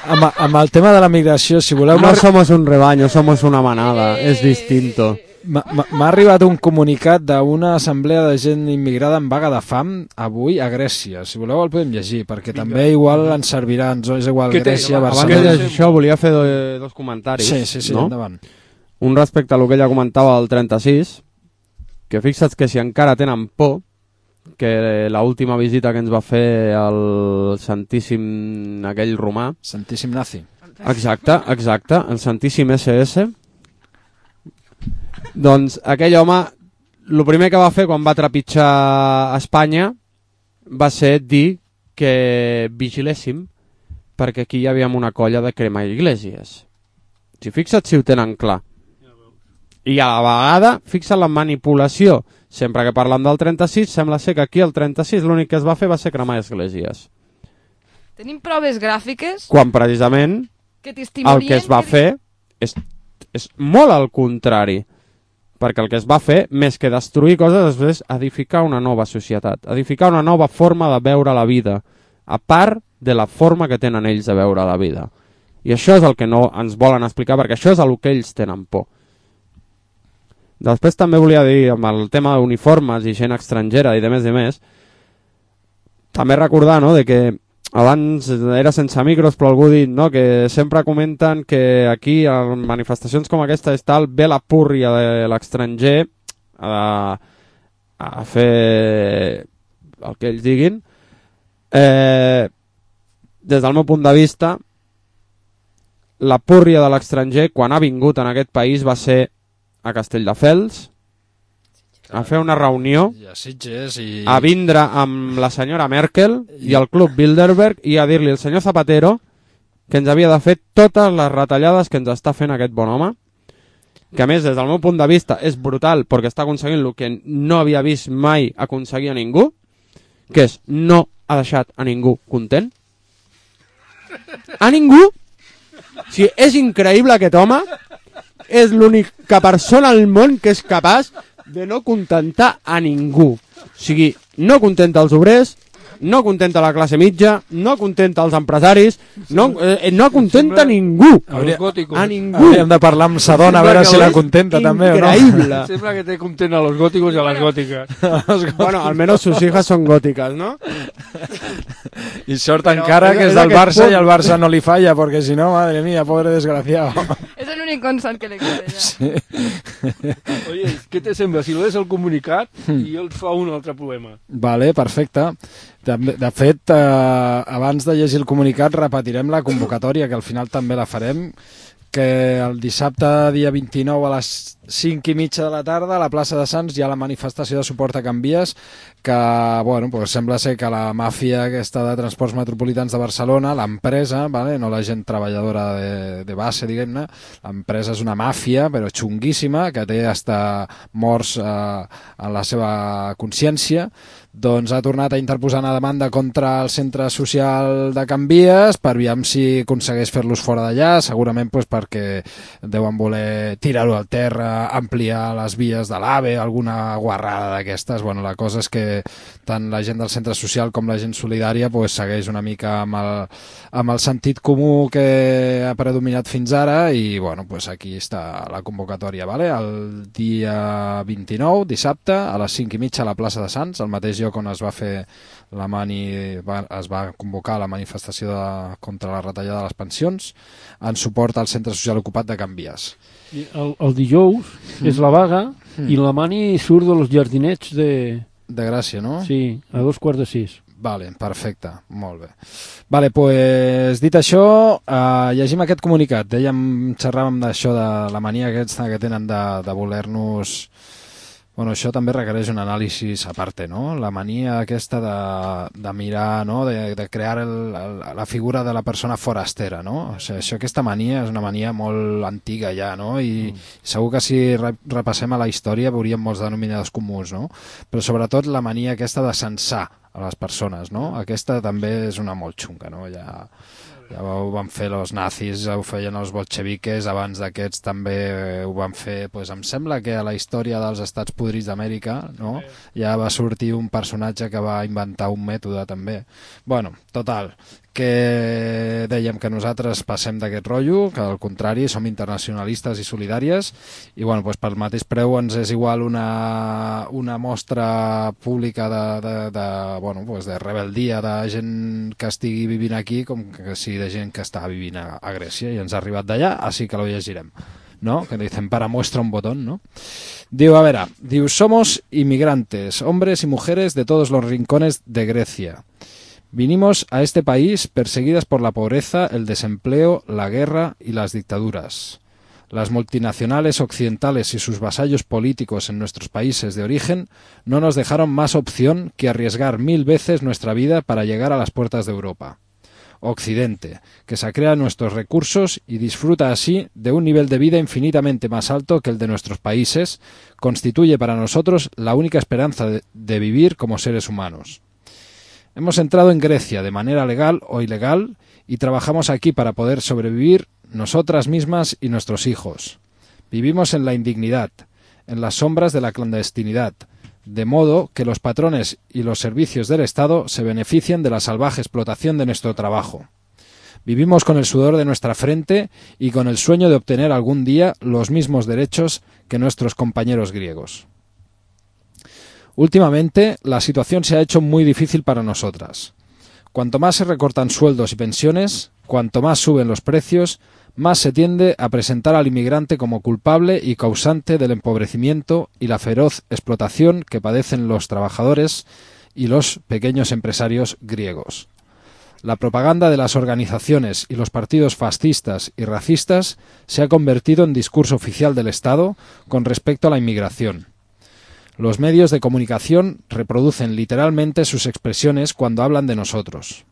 Amb, amb el tema de la migració, si voleu... No somos un rebaño, somos una manada, és distinto. M'ha arribat un comunicat d'una assemblea de gent immigrada en vaga de fam avui a Grècia. Si voleu el podem llegir, perquè Vinga. També igual ens servirà, ens és igual Grècia, Barcelona... Abans de això volia fer dos comentaris. Sí, sí, sí, no? Endavant. Un respecte a lo que ella comentava del trenta-sis, que fixa't que si encara tenen por, que l'última visita que ens va fer el Santíssim aquell romà... Santíssim Nazi. Exacte, exacte, el Santíssim esse esse. Doncs aquell home, el primer que va fer quan va trepitjar a Espanya va ser dir que vigiléssim perquè aquí hi havia una colla de cremar iglesias. Si fixa't si ho tenen clar. I a la vegada, fixa't la manipulació. Sempre que parlem del trenta-sis, sembla ser que aquí el trenta-sis l'únic que es va fer va ser cremar esglésies. Tenim proves gràfiques? Quan precisament que el que es va que... fer és, és molt al contrari. Perquè el que es va fer, més que destruir coses, és edificar una nova societat, edificar una nova forma de veure la vida, a part de la forma que tenen ells de veure la vida. I això és el que no ens volen explicar, perquè això és el que ells tenen por. Després també volia dir, amb el tema d'uniformes i gent estrangera i de més i més, també recordar, no?, de que abans era sense micros, però algú ha dit, no?, que sempre comenten que aquí, en manifestacions com aquesta, és tal, ve la púrria de l'estranger a, a fer el que ells diguin. Eh, des del meu punt de vista, la púrria de l'estranger, quan ha vingut en aquest país, va ser a Castelldefels, a fer una reunió, i... a vindre amb la senyora Merkel i el Club Bilderberg i a dir-li al senyor Zapatero que ens havia de fer totes les retallades que ens està fent aquest bon home, que a més, des del meu punt de vista, és brutal perquè està aconseguint el que no havia vist mai aconseguir a ningú, que és no ha deixat a ningú content. A ningú! O sigui, és increïble aquest home. És l'única persona al món que és capaç de no contentar a ningú. O sigui, no contenta els obrers, no contenta la classe mitja, no contenta els empresaris, no, eh, no contenta a ningú. Hauria, a ningú. Hauríem de parlar amb Sadona a veure si la contenta també o no. Increïble. Sembla que té content a los góticos y a las góticas. Bueno, al menos sus hijas son góticas, ¿no? Y sort encara que és del Barça i el Barça no li falla, perquè si no, madre mía, pobre desgraciado. És l'únic consol que li queda ja. Sí. Oye, què te sembla? Si lees el comunicat i el fa un altre poema. Vale, perfecte. De, de fet, eh, abans de llegir el comunicat repetirem la convocatòria, que al final també la farem, que el dissabte dia vint-i-nou a les cinc i mitja de la tarda a la plaça de Sants hi ha la manifestació de suport a Can Vies, que bueno, pues sembla ser que la màfia aquesta de transports metropolitans de Barcelona, l'empresa, vale? No la gent treballadora de, de base, diguem-ne, l'empresa és una màfia, però xunguíssima, que té hasta morts eh, en la seva consciència, doncs ha tornat a interposar una demanda contra el centre social de Can Vies per aviam si aconsegueix fer-los fora d'allà, segurament pues, perquè deuen voler tirar-ho al terra, ampliar les vies de l'AVE, alguna guarrada d'aquestes. Bueno, la cosa és que tant la gent del centre social com la gent solidària pues, segueix una mica amb el, amb el sentit comú que ha predominat fins ara i bueno, pues aquí està la convocatòria, vale? El dia vint-i-nou, dissabte, a les cinc i mitja a la plaça de Sants, el mateix lloc on es va fer la mani, va, es va convocar la manifestació de, contra la retallada de les pensions en suport al centre social ocupat de Can Vies. El, el dijous mm. és la vaga mm. i la mani surt de los jardinets de... De Gràcia, no? Sí, a dos quarts de sis. Vale, perfecte, molt bé. Vale, pues, dit això, eh, llegim aquest comunicat. Dèiem, xerràvem d'això de la mania aquesta que tenen de, de voler-nos... Bueno, això també requereix un anàlisi a part, no? La mania aquesta de, de mirar, no? De, de crear el, el, la figura de la persona forastera, no? O sigui, això, aquesta mania és una mania molt antiga ja, no? I mm. segur que si repassem a la història veuríem molts denominadors comuns, no? Però sobretot la mania aquesta de censar a les persones, no? Aquesta també és una molt xunga, no? Ja... Ja ho van fer els nazis, ho feien els bolxeviques, abans d'aquests també ho van fer, doncs em sembla que a la història dels estats podrits d'Amèrica, no? Ja va sortir un personatge que va inventar un mètode també. Bueno, total, que dèiem que nosaltres passem d'aquest rotllo, que al contrari som internacionalistes i solidàries, i bueno, doncs pel mateix preu ens és igual una, una mostra pública de, de, de, bueno, doncs de rebeldia de gent que estigui vivint aquí com que sigui de gent que està vivint a, a Grècia i ens ha arribat d'allà, així que lo llegirem, ¿no? Que dicen para muestra un botón, ¿no? Diu, a ver, diu, somos inmigrantes, hombres y mujeres de todos los rincones de Grecia. Vinimos a este país perseguidas por la pobreza, el desempleo, la guerra y las dictaduras. Las multinacionales occidentales y sus vasallos políticos en nuestros países de origen no nos dejaron más opción que arriesgar mil veces nuestra vida para llegar a las puertas de Europa. Occidente, que sacrea nuestros recursos y disfruta así de un nivel de vida infinitamente más alto que el de nuestros países, constituye para nosotros la única esperanza de, de vivir como seres humanos. Hemos entrado en Grecia de manera legal o ilegal y trabajamos aquí para poder sobrevivir nosotras mismas y nuestros hijos. Vivimos en la indignidad, en las sombras de la clandestinidad, de modo que los patrones y los servicios del Estado se benefician de la salvaje explotación de nuestro trabajo. Vivimos con el sudor de nuestra frente y con el sueño de obtener algún día los mismos derechos que nuestros compañeros griegos. Últimamente, la situación se ha hecho muy difícil para nosotras. Cuanto más se recortan sueldos y pensiones, cuanto más suben los precios, más se tiende a presentar al inmigrante como culpable y causante del empobrecimiento y la feroz explotación que padecen los trabajadores y los pequeños empresarios griegos. La propaganda de las organizaciones y los partidos fascistas y racistas se ha convertido en discurso oficial del Estado con respecto a la inmigración. Los medios de comunicación reproducen literalmente sus expresiones cuando hablan de nosotros.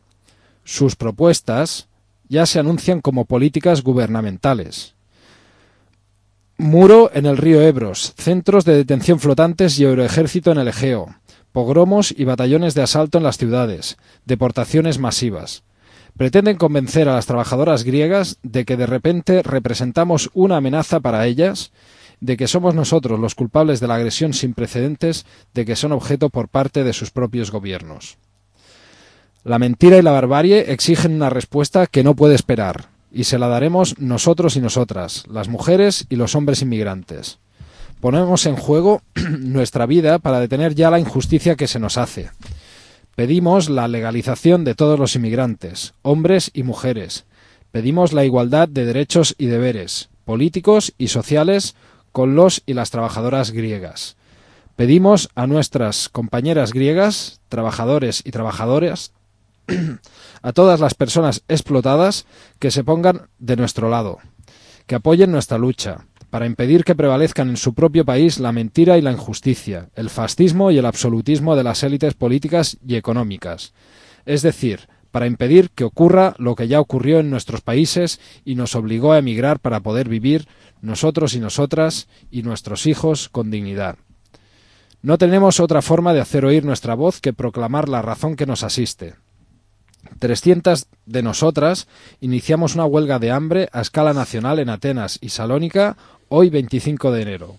Sus propuestas ya se anuncian como políticas gubernamentales. Muro en el río Ebros, centros de detención flotantes y euroejército en el Egeo, pogromos y batallones de asalto en las ciudades, deportaciones masivas. Pretenden convencer a las trabajadoras griegas de que de repente representamos una amenaza para ellas, de que somos nosotros los culpables de la agresión sin precedentes de que son objeto por parte de sus propios gobiernos. La mentira y la barbarie exigen una respuesta que no puede esperar, y se la daremos nosotros y nosotras, las mujeres y los hombres inmigrantes. Ponemos en juego nuestra vida para detener ya la injusticia que se nos hace. Pedimos la legalización de todos los inmigrantes, hombres y mujeres. Pedimos la igualdad de derechos y deberes, políticos y sociales, con los y las trabajadoras griegas. Pedimos a nuestras compañeras griegas, trabajadores y trabajadoras, a todas las personas explotadas, que se pongan de nuestro lado, que apoyen nuestra lucha, para impedir que prevalezcan en su propio país la mentira y la injusticia, el fascismo y el absolutismo de las élites políticas y económicas. Es decir, para impedir que ocurra lo que ya ocurrió en nuestros países y nos obligó a emigrar para poder vivir nosotros y nosotras y nuestros hijos con dignidad. No tenemos otra forma de hacer oír nuestra voz que proclamar la razón que nos asiste. trescientas de nosotras iniciamos una huelga de hambre a escala nacional en Atenas y Salónica hoy veinticinco de enero.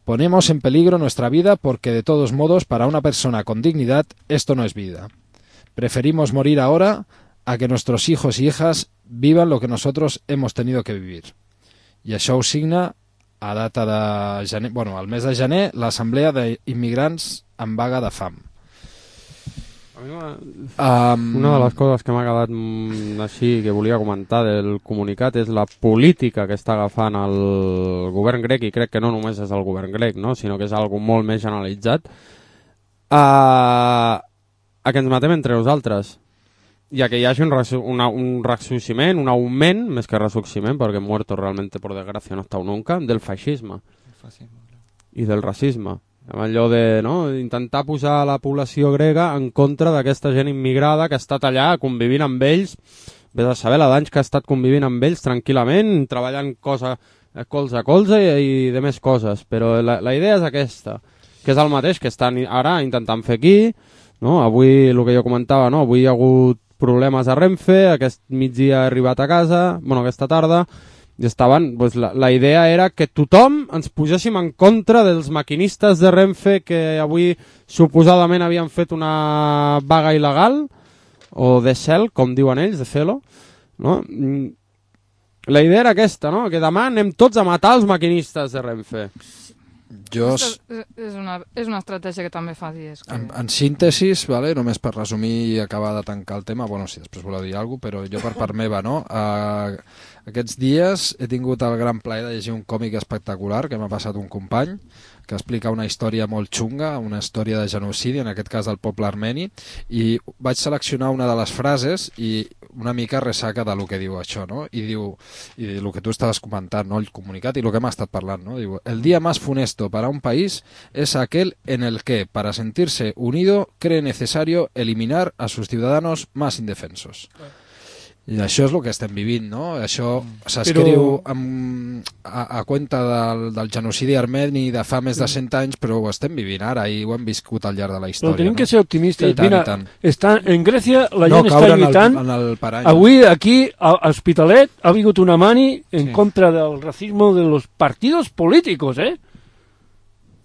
Ponemos en peligro nuestra vida porque de todos modos para una persona con dignidad esto no es vida. Preferimos morir ahora a que nuestros hijos y hijas vivan lo que nosotros hemos tenido que vivir. I això ho signa a data de gener, bueno, al mes de gener l'Assemblea d'Immigrants en vaga de fam. Um, Una de les coses que m'ha quedat mm, així que volia comentar del comunicat és la política que està agafant el govern grec, i crec que no només és el govern grec, no? Sinó que és algo molt més generalitzat, a, a que ens matem entre nosaltres i a que hi hagi un, resu una, un ressusciment, un augment, més que ressusciment, perquè muerto realmente por desgracia no estàu nunca, del feixisme i del racisme. Allò de no, intentar posar la població grega en contra d'aquesta gent immigrada que ha estat allà convivint amb ells, vés a saber la d'anys que ha estat convivint amb ells tranquil·lament, treballant cosa, colze a colze i, i de més coses, però la, la idea és aquesta, que és el mateix que estan ara intentant fer aquí, no? Avui, el que jo comentava, no? Avui hi ha hagut problemes a Renfe, aquest migdia he arribat a casa, bueno, aquesta tarda, i estaven, doncs la, la idea era que tothom ens poséssim en contra dels maquinistes de Renfe que avui suposadament havien fet una vaga il·legal, o de cel, com diuen ells, de celo, no? La idea era aquesta, no? Que demà anem tots a matar els maquinistes de Renfe. Jo... És, és, una, és una estratègia que també fa dies. Que... En, en síntesis, vale? Només per resumir i acabar de tancar el tema, bueno, si després voleu dir alguna cosa, però jo per part meva, no? Uh, aquests dies he tingut el gran plaer de llegir un còmic espectacular que m'ha passat un company, que explica una història molt xunga, una història de genocidi, en aquest cas del poble armeni, i vaig seleccionar una de les frases i una mica ressaca de lo que diu això, no? I diu, i el que tu estaves comentant, no? El comunicat i el que hem estat parlant, no? Diu, el día más funesto para un país es aquel en el que, para sentirse unido, cree necesario eliminar a sus ciudadanos más indefensos. I això és el que estem vivint, no? Això s'escriu però... a, a cuenta del, del genocidi armeni de fa més de cent anys, però ho estem vivint ara i ho hem viscut al llarg de la història. Però tenim no? que ser optimistes. tant, Mira, està, en Grècia la no, gent està lluitant. En el, en el parany. Avui aquí a Hospitalet ha vingut una mani en sí. contra del racismo de los partidos políticos, ¿eh?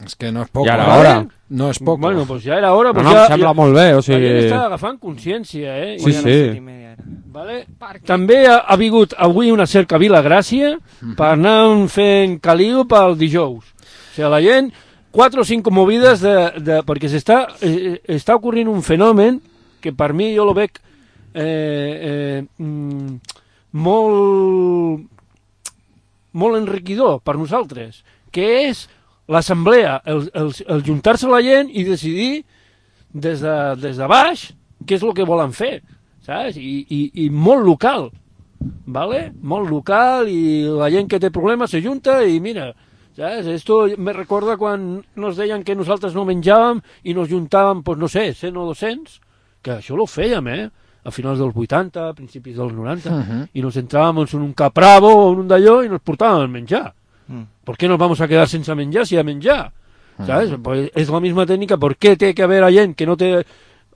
És que no és poc. Ja era hora. No és poc. Bueno, pues ja era hora. Pues no, no, ja, em sembla ja, molt bé. O sigui... La gent està agafant consciència, eh? Sí, I, sí. Vale? També ha, ha vingut avui una cerca Vila Gràcia mm. per anar fent caliu pel dijous. O sigui, la gent, quatre o cinc movides de... de perquè s'està eh, està ocorrent un fenomen que per mi jo lo veig eh, eh, mm, molt molt enriquidor per nosaltres, que és l'assemblea, el, el, el juntar-se la gent i decidir des de, des de baix què és el que volen fer, saps? I, i, i molt local, ¿vale? Molt local, i la gent que té problemes se junta i mira, saps? Esto me recorda quan nos deien que nosaltres no menjàvem i nos juntàvem, pues no sé, cent o dos-cents, que això lo fèiem, eh? A finals dels vuitanta, a principis dels noranta, uh -huh. i nos entràvem en un capravo o en un d'allò i nos portàvem a menjar. Mm. ¿Por qué nos vamos a quedar sense menjar si hi ha menjar? ¿Sabes? Mm. Pues es la misma técnica. ¿Por qué té que haver a gent que no té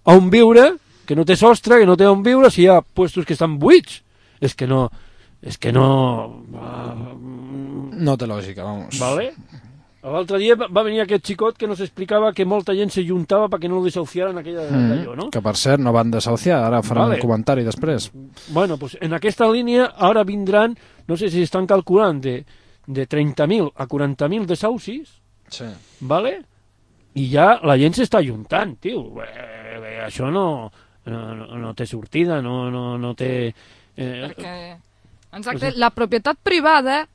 on viure, que no té sostre, que no té on viure, si hi ha puestos que estan buits? És que no... És que no... No té lògica, vamos. Vale? L'altre dia va venir aquest xicot que nos explicava que molta gent se juntava perquè no lo desahuciaran aquella mm. d'allò, no? Que per cert no van desahuciar, ara faran vale. un comentari després. Bueno, pues en aquesta línia ara vindran, no sé si estan calculant de de trenta mil a quaranta mil desahucis, sí. ¿vale? I ja la gent s'està ajuntant, tio. Eh, això no, no, no, no té sortida, no, no, no té... Eh... Perquè, exacte, la propietat privada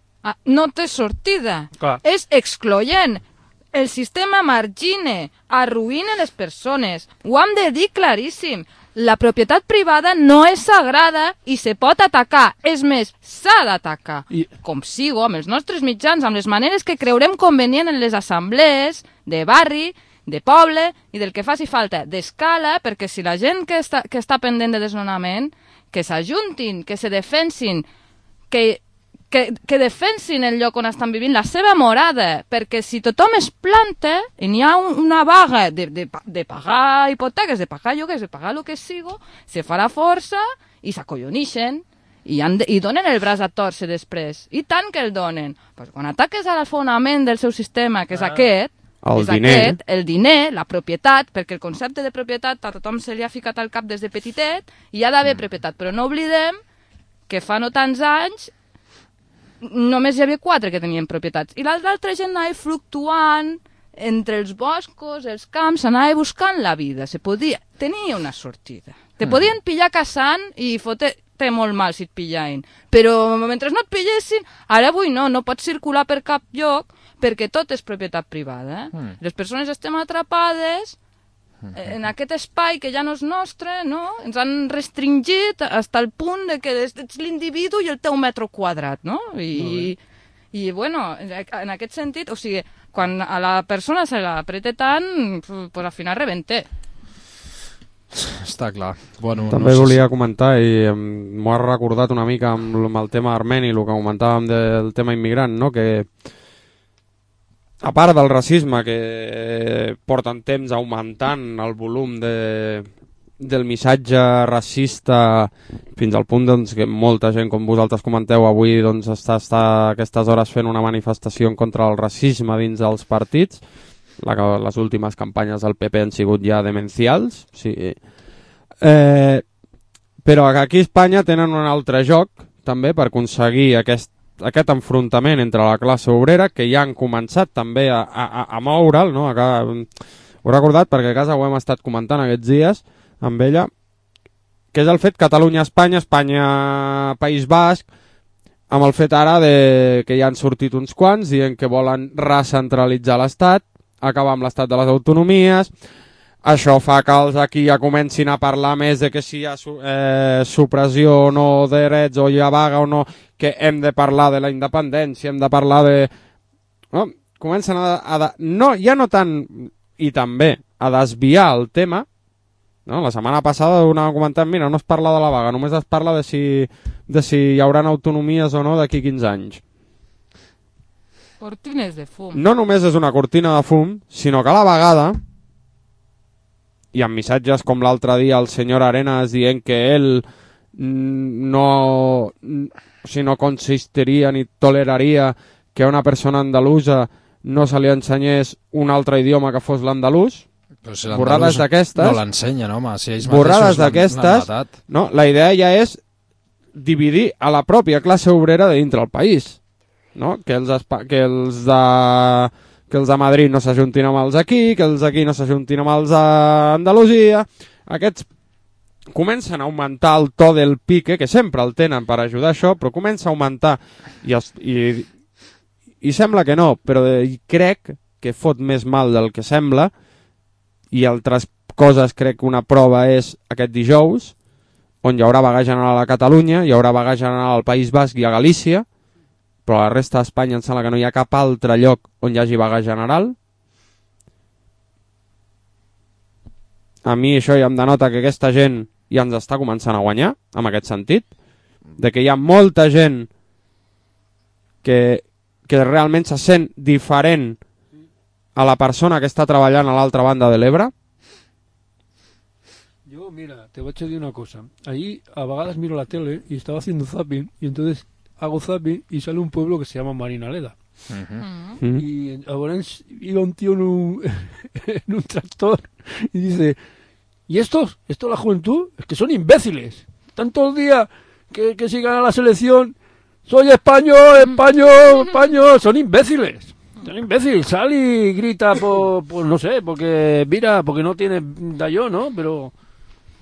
no té sortida. Clar. És excloent. El sistema margina, arruïna les persones. Ho hem de dir claríssim. la propietat privada no és sagrada i se pot atacar. És més, s'ha d'atacar. I... Com sigo, amb els nostres mitjans, amb les maneres que creurem convenient en les assemblees de barri, de poble i del que faci falta, d'escala, perquè si la gent que està, que està pendent de desnonament, que s'ajuntin, que se defensin, que... Que, que defensin el lloc on estan vivint, la seva morada, perquè si tothom es planta i n'hi ha un, una vaga de, de, de pagar hipoteques, de pagar lloguers, de pagar el que sigo, se farà força i s'acollonixen i, han de, i donen el braç a torcer després. I tant que el donen. Pues quan ataques a l'fonament del seu sistema, que és ah. aquest, el és diner. aquest, el diner, la propietat, perquè el concepte de propietat a tothom se li ha ficat al cap des de petitet i hi ha d'haver propietat, però no oblidem que fa no tants anys només hi havia quatre que tenien propietats i l'altra gent anava fluctuant entre els boscos, els camps, anava buscant la vida, se podia, tenia una sortida. Te mm. podien pillar caçant i fotre molt mal si et pillaven, però mentre no et pillessin, ara avui no, no pots circular per cap lloc perquè tot és propietat privada. Eh? Mm. Les persones estem atrapades en aquest espai que ja no és nostre, no? Ens han restringit fins al punt de que ets l'individu i el teu metro quadrat, no? I, i bueno, en aquest sentit, o sigui, quan a la persona se l'apreta tant, pues al final rebenta. Està clar. Bueno, També no sé volia si... comentar, i m'ho ha recordat una mica amb, amb el tema armeni, el que comentàvem del tema immigrant, no? Que a part del racisme que porten temps augmentant el volum de, del missatge racista fins al punt doncs, que molta gent, com vosaltres comenteu avui, doncs, està, està a aquestes hores fent una manifestació en contra del racisme dins dels partits. La, les últimes campanyes del P P han sigut ja demencials. Sí. Eh, però aquí a Espanya tenen un altre joc també per aconseguir aquest aquest enfrontament entre la classe obrera que ja han començat també a, a, a moure'l, no? Acá, ho he recordat perquè a casa ho hem estat comentant aquests dies amb ella, que és el fet Catalunya-Espanya, Espanya-País Basc, amb el fet ara de que ja han sortit uns quants dient que volen recentralitzar l'Estat, acabar amb l'Estat de les autonomies. Això fa que els aquí ja comencin a parlar més de que si hi ha eh, supressió o no de drets, o hi ha vaga o no, que hem de parlar de la independència, hem de parlar de... No? Comencen a... a no, ja no tant, i també, a desviar el tema. No? La setmana passada anàvem comentant, mira, no es parla de la vaga, només es parla de si, de si hi haurà autonomies o no d'aquí quinze anys. Cortines de fum. No només és una cortina de fum, sinó que a la vegada... i amb missatges com l'altre dia el senyor Arenas dient que ell no, o sigui, no consistiria ni toleraria que a una persona andalusa no se li ensenyés un altre idioma que fos l'andalús. Si borrades d'aquestes... No l'ensenyen, home. Si ells borrades d'aquestes... No, la idea ja és dividir a la pròpia classe obrera de dintre el país. No? Que els, que els de... que els de Madrid no s'ajuntin amb els aquí, que els aquí no s'ajuntin amb els d'Andalusia. Aquests comencen a augmentar el to del pique, que sempre el tenen per ajudar això, però comença a augmentar. I, els, i, i sembla que no, però i crec que fot més mal del que sembla, i altres coses crec que una prova és aquest dijous, on hi haurà vaga general a Catalunya, hi haurà vaga general al País Basc i a Galícia, però a la resta d'Espanya em sembla que no hi ha cap altre lloc on hi hagi vaga general. A mi això ja em denota que aquesta gent ja ens està començant a guanyar, en aquest sentit, de que hi ha molta gent que, que realment se sent diferent a la persona que està treballant a l'altra banda de l'Ebre. Yo, mira, te voy a decir una cosa. Ahí a vagadas miro la tele y estaba haciendo zapping y entonces hago zapping y sale un pueblo que se llama Marinaleda. Uh-huh. Uh-huh. Y ahora iba un tío en un, en un tractor y dice, ¿y estos? ¿Esto la juventud? Es que son imbéciles. Están todo el día que, que si gana la selección, soy español, español, español. Son imbéciles. Son imbéciles. Sal y grita por, por, no sé, porque mira, porque no tiene da yo, ¿no? Pero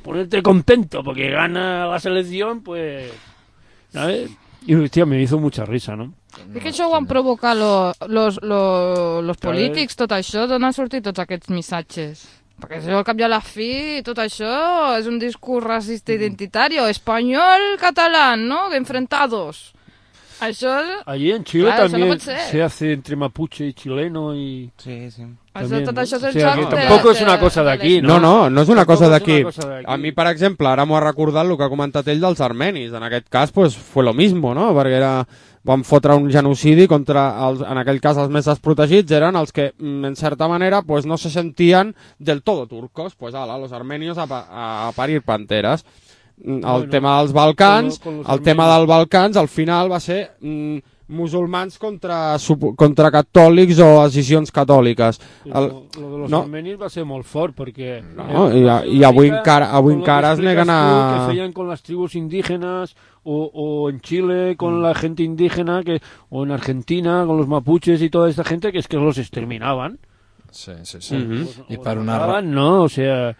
ponerte contento porque gana la selección, pues, ¿sabes? Y hostia, me hizo mucha risa, no? I que això ho han provocat lo, los, lo, los polítics, tot això, d'on han sortit tots aquests missatges? Perquè això, al cap i a la fi, tot això és un discurs racista identitari, espanyol, català, ¿no? Enfrentados. Això... Allí en Chile claro, también no se hace entre mapuche y chileno y... Sí, sí. Això, tot això és el o sea, joc que de... tampoc és una cosa d'aquí, No, no? no, no és una cosa d'aquí. Tampoc és una cosa d'aquí. A mi, per exemple, ara m'ho ha recordat el que ha comentat ell dels armenis. En aquest cas, pues, fue lo mismo, no? Perquè era... van fotre un genocidi contra, els, en aquell cas, els més desprotegits, eren els que, en certa manera, pues, no se sentían del todo turcos. Pues, ala, los armenios a, a, a parir panteres. El Bueno, tema dels Balcans, con lo- con los el tema armenios. dels Balcans, al final va ser... Mm, musulmans contra, contra catòlics o decisions catòliques. El, El, lo, lo de los no. armenis va ser molt fort perquè... No, eh, i, va ser i una avui mica encara, avui con lo encara que es neguen explicas tú, a... que feien con las tribus indígenas o, o en Chile con la gente indígena que, o en Argentina con los mapuches y toda esta gente que es que los exterminaban. Sí, sí, sí. Mhm. Os- I os per una, mataban, no, o sea...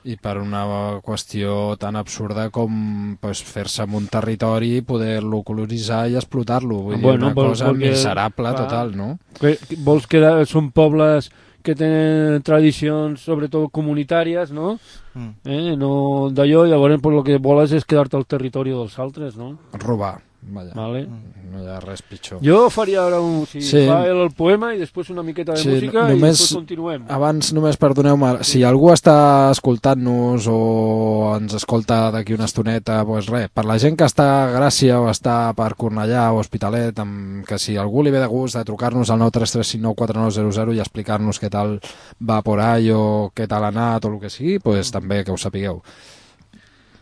i per una qüestió tan absurda com pues, fer-se amb un territori, poder-lo colonitzar i explotar-lo. Vull dir, Bueno, una pues, cosa porque, miserable clar, total, no? Que, que vols que són pobles que tenen tradicions sobretot comunitàries, no? Mm. Eh, no d'allò, llavors pues, el que voles és quedar-te al territori dels altres, no? Robar, vaja. Vale. No hi ha res pitjor. Jo faria ara un... Si Sí. fa el, el poema i després una miqueta de Sí, música només- i després continuem. Abans, només perdoneu-me, si algú està escoltant-nos o ens escolta d'aquí una estoneta, doncs res, per la gent que està a Gràcia o està per Cornellà o Hospitalet, amb, que si algú li ve de gust de trucar-nos al nou tres tres cinc nou quatre nou zero zero i explicar-nos què tal va por ahí o què tal ha anat o el que sigui, doncs també que ho sapigueu.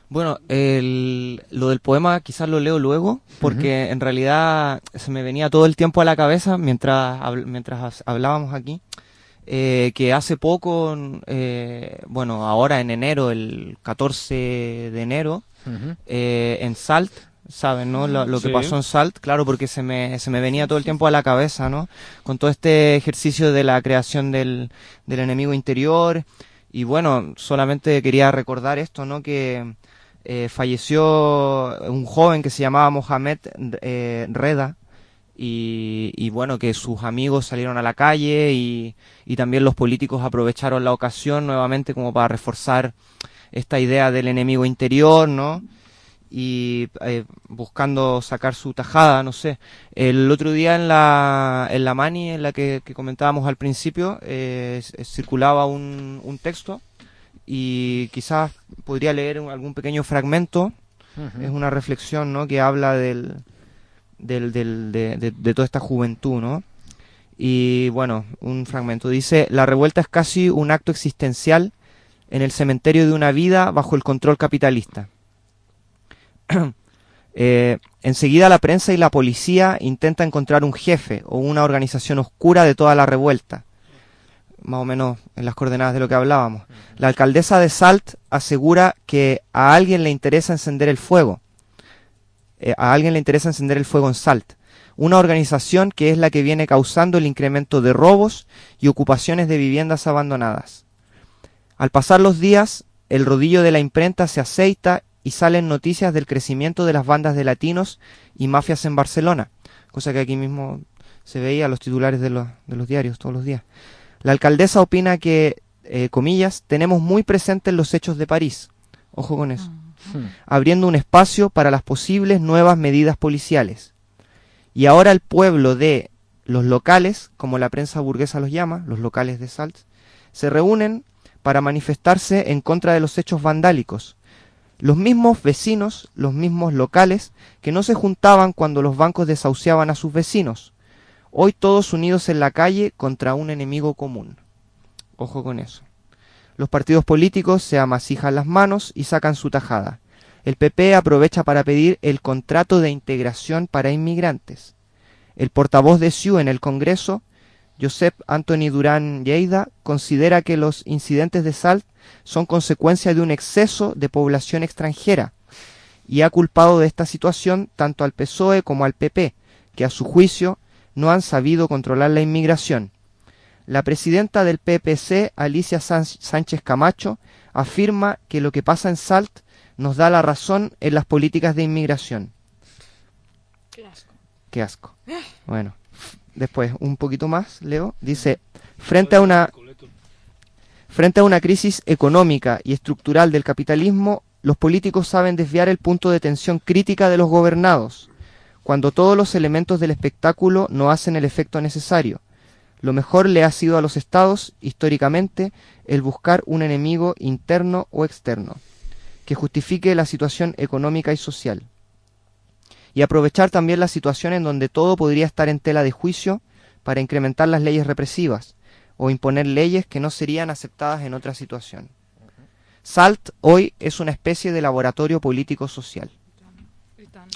Bueno, el, lo del poema quizás lo leo luego, porque en realidad se me venía todo el tiempo a la cabeza mientras, habl- mientras hablábamos aquí, eh, que hace poco, eh, bueno, ahora en enero, el catorce de enero, eh, en Salt, ¿saben, no? Lo, lo que Sí. pasó en Salt, claro, porque se me, se me venía todo el tiempo a la cabeza, ¿no? Con todo este ejercicio de la creación del, del enemigo interior. Y bueno, solamente quería recordar esto, ¿no? Que eh, falleció un joven que se llamaba Mohamed eh, Reda. Y, y bueno, que sus amigos salieron a la calle y, y también los políticos aprovecharon la ocasión nuevamente como para reforzar esta idea del enemigo interior, ¿no? Y eh, buscando sacar su tajada, no sé. El otro día en la, en la Mani, en la que, que comentábamos al principio, eh, s- circulaba un, un texto y quizás podría leer un- algún pequeño fragmento. Es una reflexión, ¿no? Que habla del, del, del, de, de, de toda esta juventud, ¿no? Y bueno, un fragmento dice: la revuelta es casi un acto existencial en el cementerio de una vida bajo el control capitalista. Eh, enseguida la prensa y la policía intenta encontrar un jefe o una organización oscura de toda la revuelta. Más o menos en las coordenadas de lo que hablábamos. La alcaldesa de Salt asegura que a alguien le interesa encender el fuego. Eh, a alguien le interesa encender el fuego en Salt. Una organización que es la que viene causando el incremento de robos y ocupaciones de viviendas abandonadas. Al pasar los días, el rodillo de la imprenta se aceita y salen noticias del crecimiento de las bandas de latinos y mafias en Barcelona, cosa que aquí mismo se veía en los titulares de los, de los diarios todos los días. La alcaldesa opina que, eh, comillas, tenemos muy presentes los hechos de París, ojo con eso, abriendo un espacio para las posibles nuevas medidas policiales. Y ahora el pueblo de los locales, como la prensa burguesa los llama, los locales de Salt, se reúnen para manifestarse en contra de los hechos vandálicos. Los mismos vecinos, los mismos locales, que no se juntaban cuando los bancos desahuciaban a sus vecinos. Hoy todos unidos en la calle contra un enemigo común. Ojo con eso. Los partidos políticos se amasijan las manos y sacan su tajada. El P P aprovecha para pedir el contrato de integración para inmigrantes. El portavoz de S I U en el Congreso, Josep Antoni Durán Lleida, considera que los incidentes de Salt son consecuencia de un exceso de población extranjera y ha culpado de esta situación tanto al P S O E como al P P, que a su juicio no han sabido controlar la inmigración. La presidenta del P P C, Alicia Sánchez Camacho, afirma que lo que pasa en Salt nos da la razón en las políticas de inmigración. Qué asco. Qué asco. Bueno, después, un poquito más, Leo, dice, frente a una... Frente a una crisis económica y estructural del capitalismo, los políticos saben desviar el punto de tensión crítica de los gobernados, cuando todos los elementos del espectáculo no hacen el efecto necesario. Lo mejor le ha sido a los estados, históricamente, el buscar un enemigo interno o externo, que justifique la situación económica y social. Y aprovechar también la situación en donde todo podría estar en tela de juicio para incrementar las leyes represivas o imponer leyes que no serían aceptadas en otra situación. SALT hoy és una espècie de laboratori político-social.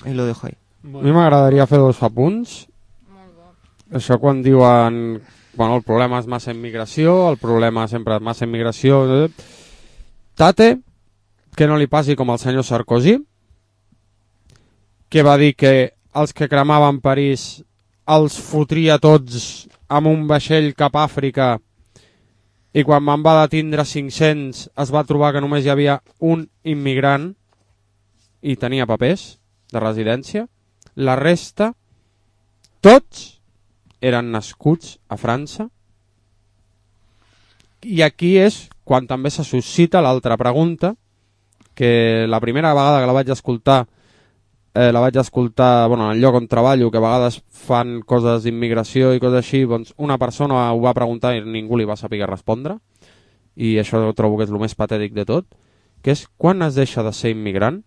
I lo dejo ahí. A mi m'agradaria fer dos apunts. Això quan diuen bueno, el problema és massa immigració, el problema sempre és massa immigració... Tate, que no li passi com al senyor Sarkozy, que va dir que els que cremaven París els fotria tots amb un vaixell cap a Àfrica i quan van va detindre cinc-cents es va trobar que només hi havia un immigrant i tenia papers de residència. La resta, tots, eren nascuts a França. I aquí és quan també se suscita l'altra pregunta, que la primera vegada que la vaig escoltar, eh, la vaig escoltar bueno, en el lloc on treballo, que a vegades fan coses d'immigració i coses així, doncs una persona ho va preguntar i ningú li va saber respondre, i això trobo que és el més patètic de tot, que és quan es deixa de ser immigrant,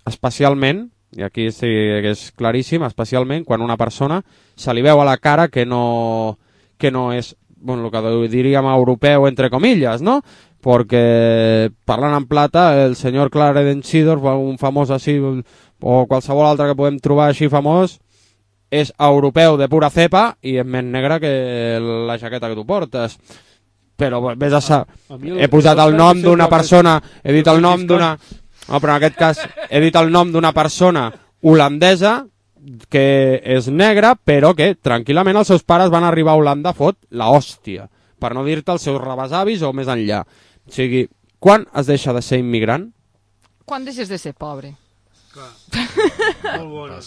especialment, i aquí sí que és claríssim, especialment quan una persona se li veu a la cara que no, que no és, bueno, el que diríem europeu entre comillas, ¿no? Porque parlant en plata, el senyor Clarence Seedorf, un famós així, o qualsevol altre que podem trobar així famós, és europeu de pura cepa i és més negre que la jaqueta que tu portes. Però vés a sa... He posat el nom d'una persona, he dit el nom d'una... No, però en aquest cas he dit el nom d'una persona holandesa que és negra, però que tranquil·lament els seus pares van arribar a Holanda a fot la hòstia, per no dir-te els seus rebesavis o més enllà. O sigui, quan es deixa de ser immigrant? Quan deixes de ser pobre? Molt bona.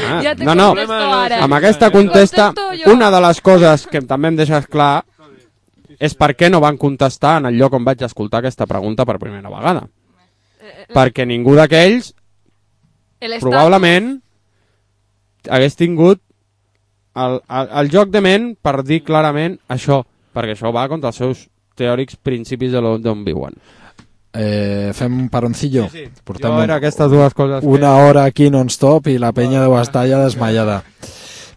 Ah, ja no, no, amb aquesta contesta, una de les coses que també em deixes clar és per què no van contestar en el lloc on vaig escoltar aquesta pregunta per primera vegada. Perquè ningú d'aquells probablement hagués tingut el, el, el joc de ment per dir clarament això, perquè això va contra els seus teòrics principis de d'on viuen. Eh, fem un paroncillo. Sí, sí. Portem jo era aquestes dues coses una que... hora aquí non-stop i la penya deu estar ja desmaiada.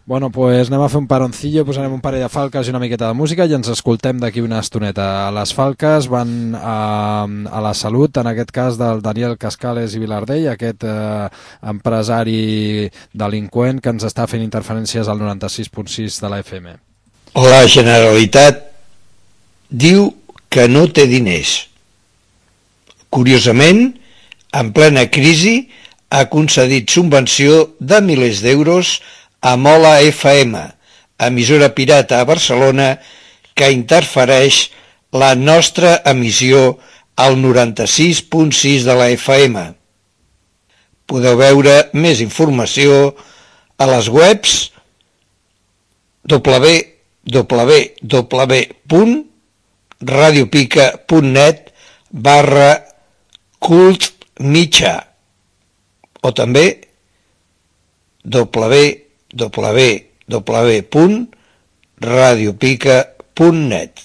Bueno, pues anem a fer un paroncillo, posarem un parell de falques i una miqueta de música i ens escoltem d'aquí una estoneta. Les falques van a, a la salut, en aquest cas del Daniel Cascales i Vilardell, aquest eh, empresari delinqüent que ens està fent interferències al noranta-sis punt sis de la F M. La Generalitat diu que no té diners. Curiosament, en plena crisi, ha concedit subvenció de milers d'euros a Mola F M, emissora pirata a Barcelona que interfereix la nostra emissió al noranta-sis punt sis de la F M. Podeu veure més informació a les webs w w w punt radiopica punt net barra cult mitjà o també w w w punt radiopica punt net.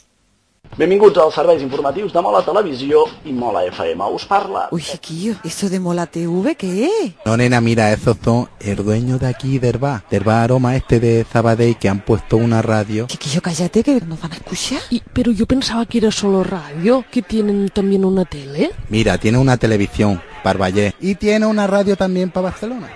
Benvinguts als serveis informatius de Mola Televisió i Mola F M. Us parla... Uy, chiquillo, ¿eso de Mola T V qué es? No, nena, mira, esos son el dueño de aquí del bar, del bar Aroma este de Sabadell, que han puesto una radio. Chiquillo, cállate, que nos van a escuchar. Y, pero yo pensaba que era solo radio, que tienen también una tele. Mira, tiene una televisión para Vallès y tiene una radio también para Barcelona.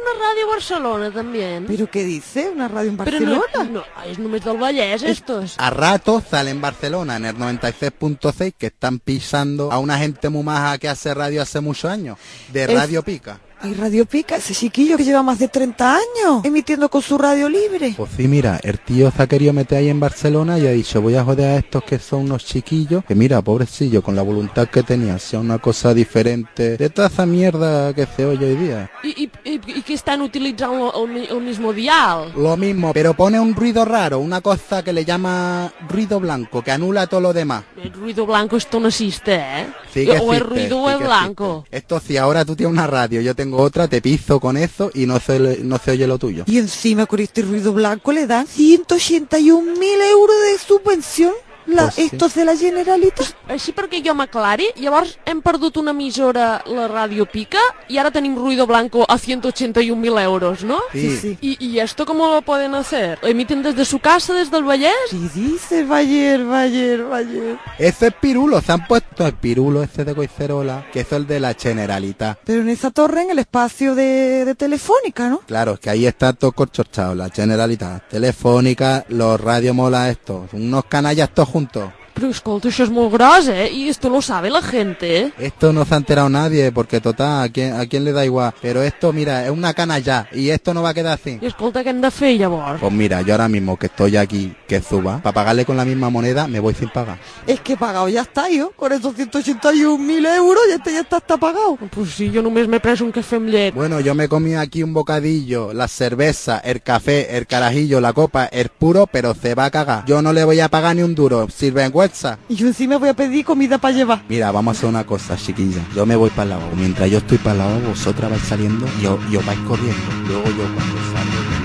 Una radio a Barcelona también. ¿Pero qué dice? ¿Una radio en Barcelona? Pero no, no, es només del Vallès estos. A rato sale en Barcelona, en el noventa y seis punto seis, que están pisando a una gente muy maja que hace radio hace muchos años, de Radio Pica. Ay, Radio Pica, ese chiquillo que lleva más de treinta años emitiendo con su radio libre. Pues sí, mira, el tío se ha querido meter ahí en Barcelona y ha dicho, voy a joder a estos que son unos chiquillos, que mira, pobrecillo, con la voluntad que tenía, sea una cosa diferente de toda esa mierda que se oye hoy día. ¿Y, y, y, y que están utilizando el, el mismo dial? Lo mismo, pero pone un ruido raro, una cosa que le llama ruido blanco, que anula todo lo demás. El ruido blanco esto no existe, ¿eh? Sí que o el existe, ruido sí es que blanco. existe. Esto si ahora tú tienes una radio, yo tengo otra, te piso con eso y no se, no se oye lo tuyo. Y encima con este ruido blanco le dan ciento ochenta y un mil euros de subvención. La, Pues sí. estos de la Generalitat. Així perquè jo m'aclari, llavors hem perdut una emissora, la Radio Pica, y ahora tenim ruido blanco a ciento ochenta y un mil euros, ¿no? Sí. sí. ¿Y, ¿Y esto cómo lo pueden hacer? ¿Emiten desde su casa, desde el Vallés? Sí, dice Bayer, Bayer, Bayer. Ese es Pirulo, se han puesto el Pirulo ese de Coicerola, que es el de la Generalitat. Pero en esa torre, en el espacio de, de Telefónica, ¿no? Claro, es que ahí está todo corchochado, la Generalitat, Telefónica, los Radio Mola estos, unos canallas todos juntos. Pero escolta, això és molt gros, eh? Y esto lo sabe la gente, ¿eh? Esto no se ha enterado nadie, porque total, ¿a quién, a quién le da igual? Pero esto, mira, es una canalla, y esto no va a quedar así. I escolta, què hem de fer llavors? Pues mira, yo ahora mismo que estoy aquí, que suba, para pagarle con la misma moneda, me voy sin pagar. Es que pagado ya está, yo. Con esos ciento ochenta y un mil euros, ya este ya está, está pagado. Pues sí, jo només m'he pres un cafè amb llet. Bueno, yo me comí aquí un bocadillo, la cerveza, el café, el carajillo, la copa, el puro, pero se va a cagar. Yo no le voy a pagar ni un duro, sinvergüenza. Y yo encima voy a pedir comida para llevar. Mira, vamos a hacer una cosa, chiquilla. Yo me voy para el lavabo. Mientras yo estoy para el lavabo, vosotras vais saliendo y os, y os vais corriendo. Luego yo cuando salgo...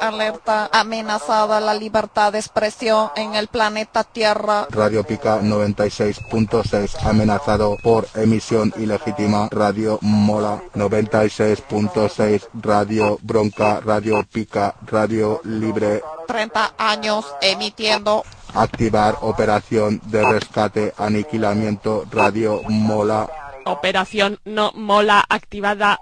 Alerta, amenazada la libertad de expresión en el planeta Tierra. Radio Pica noventa y seis punto seis, amenazado por emisión ilegítima. Radio Mola noventa y seis punto seis, Radio Bronca, Radio Pica, Radio Libre. treinta años emitiendo. Activar operación de rescate, aniquilamiento. Radio Mola. Operación no mola activada.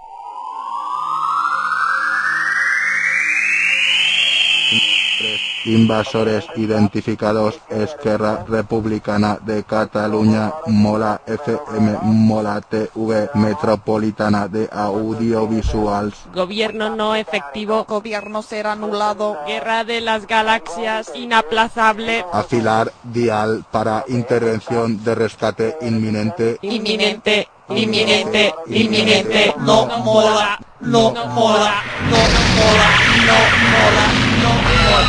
Invasores identificados. Esquerra Republicana de Cataluña, Mola F M, Mola T V, Metropolitana de Audiovisuals. Gobierno no efectivo. Gobierno ser anulado. Guerra de las galaxias inaplazable. Afilar dial para intervención de rescate inminente. Inminente, inminente, inminente. No mola, no mola, no mola, no mola, no mola.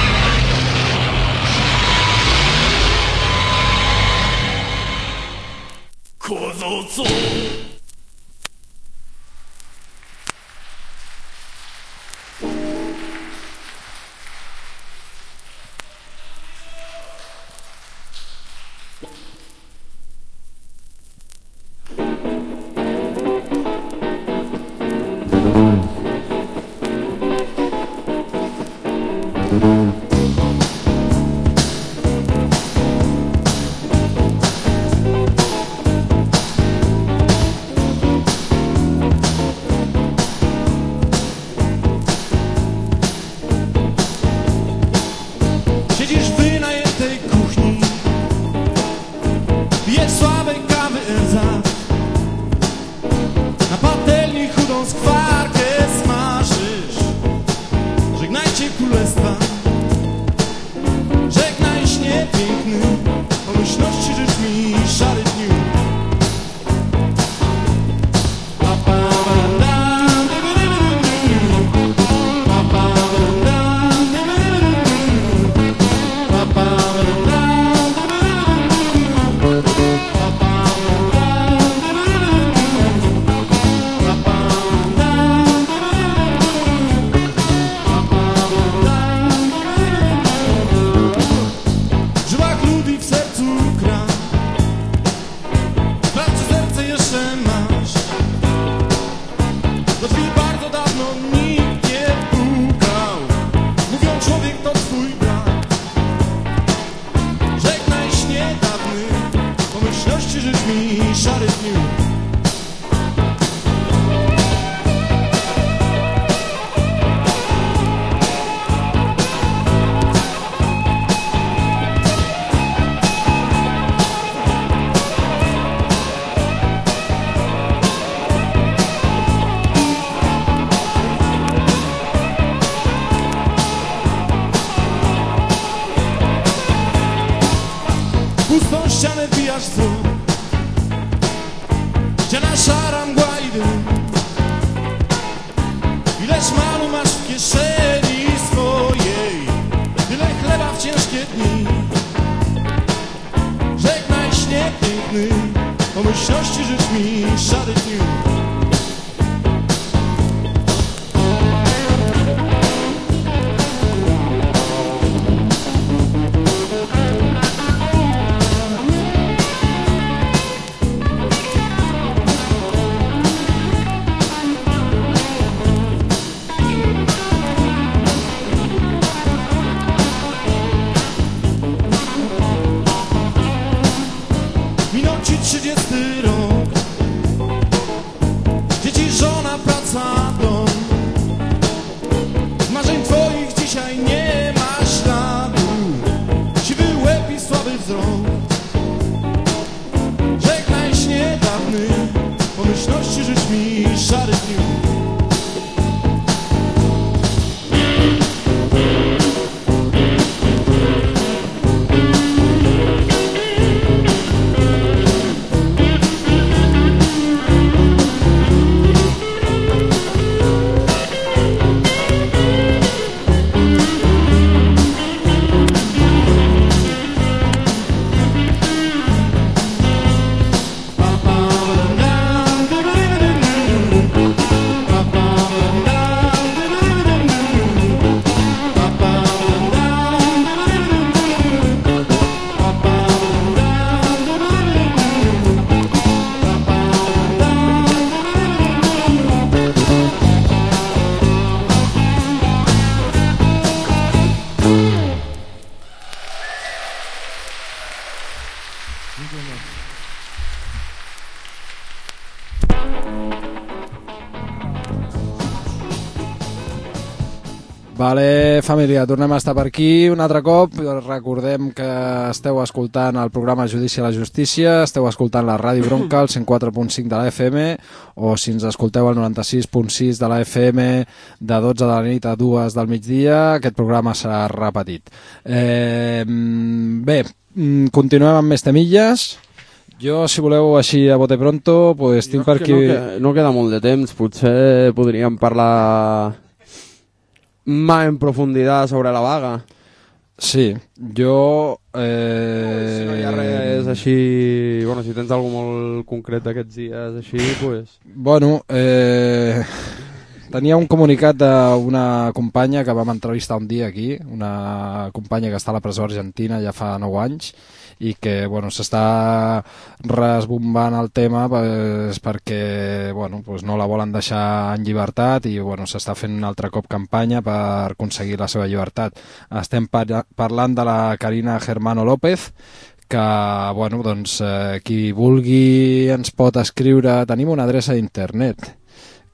Siedzisz w wynajętej kuchni, pijesz słabej kawy Elza, na patelni chudą skwarkę smażysz. Żegnajcie królestwa, żegnaj śnie piękny, pomyślności życz mi szary dniu. W żyłach ludzi, w sercu gra, w pracy serce jeszcze masz. Do drzwi bardzo dawno nikt nie pukał, mówią człowiek to twój brat. Żegnaj śnie dawny, pomyślności życz mi szary dniu. Pustą ścianę wbijasz wzrok, ściana szara, mgła i dym. Ile szmalu masz w kieszeni swojej, tyle chleba w ciężkie dni. Żegnaj śnie piękny, pomyślności życz mi szary dniu. Minął ci trzydziesty rok, Vale, família, tornem a estar per aquí un altre cop. Recordem que esteu escoltant el programa Judici a la Justícia, esteu escoltant la Ràdio Bronca, el cent quatre punt cinc de la F M, o si ens escolteu al noranta-sis punt sis de la F M de dotze de la nit a dues del migdia, aquest programa serà repetit. Eh, bé, continuem amb més temilles. Jo, si voleu així a bote pronto, pues tinc per aquí... No, que, no queda molt de temps, potser podríem parlar... más en profundidad sobre la vaga. Sí, jo... Eh... Si no hi ha res així... Bueno, si tens alguna molt concret aquests dies així, pues... Bueno, eh... tenia un comunicat d'una companya que vam entrevistar un dia aquí, una companya que està a la presó argentina ja fa nou anys, i que bueno, s'està resbombant el tema pues, perquè bueno, pues no la volen deixar en llibertat i bueno, s'està fent un altre cop campanya per aconseguir la seva llibertat. Estem par parlant de la Karina Germano López, que bueno, doncs, eh, qui vulgui ens pot escriure, tenim una adreça d'internet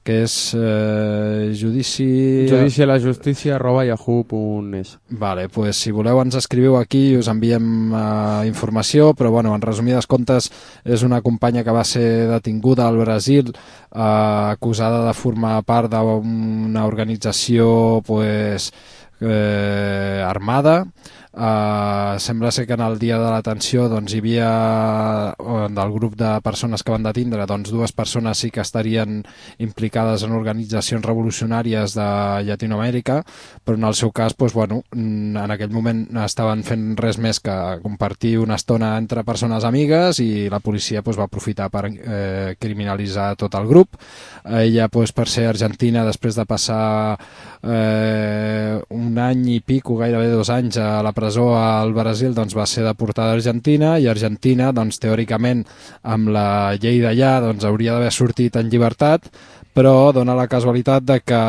que és eh, judici... judici a la justícia arroba yahoo punt es. Vale, pues si voleu ens escriviu aquí i us enviem eh, informació, però bueno, en resumides comptes és una companya que va ser detinguda al Brasil eh, acusada de formar part d'una organització pues, eh, armada. Uh, sembla ser que en el dia de la detenció doncs, hi havia uh, del grup de persones que van detindre, doncs dues persones sí que estarien implicades en organitzacions revolucionàries de Llatinoamèrica, però en el seu cas doncs, bueno, en aquell moment estaven fent res més que compartir una estona entre persones amigues i la policia doncs, va aprofitar per eh, criminalitzar tot el grup. Ella doncs, per ser argentina, després de passar eh, un any i pico, gairebé dos anys a la presó al Brasil, doncs va ser deportada a Argentina, i Argentina, doncs teòricament amb la llei d'allà doncs hauria d'haver sortit en llibertat, però dona la casualitat de que,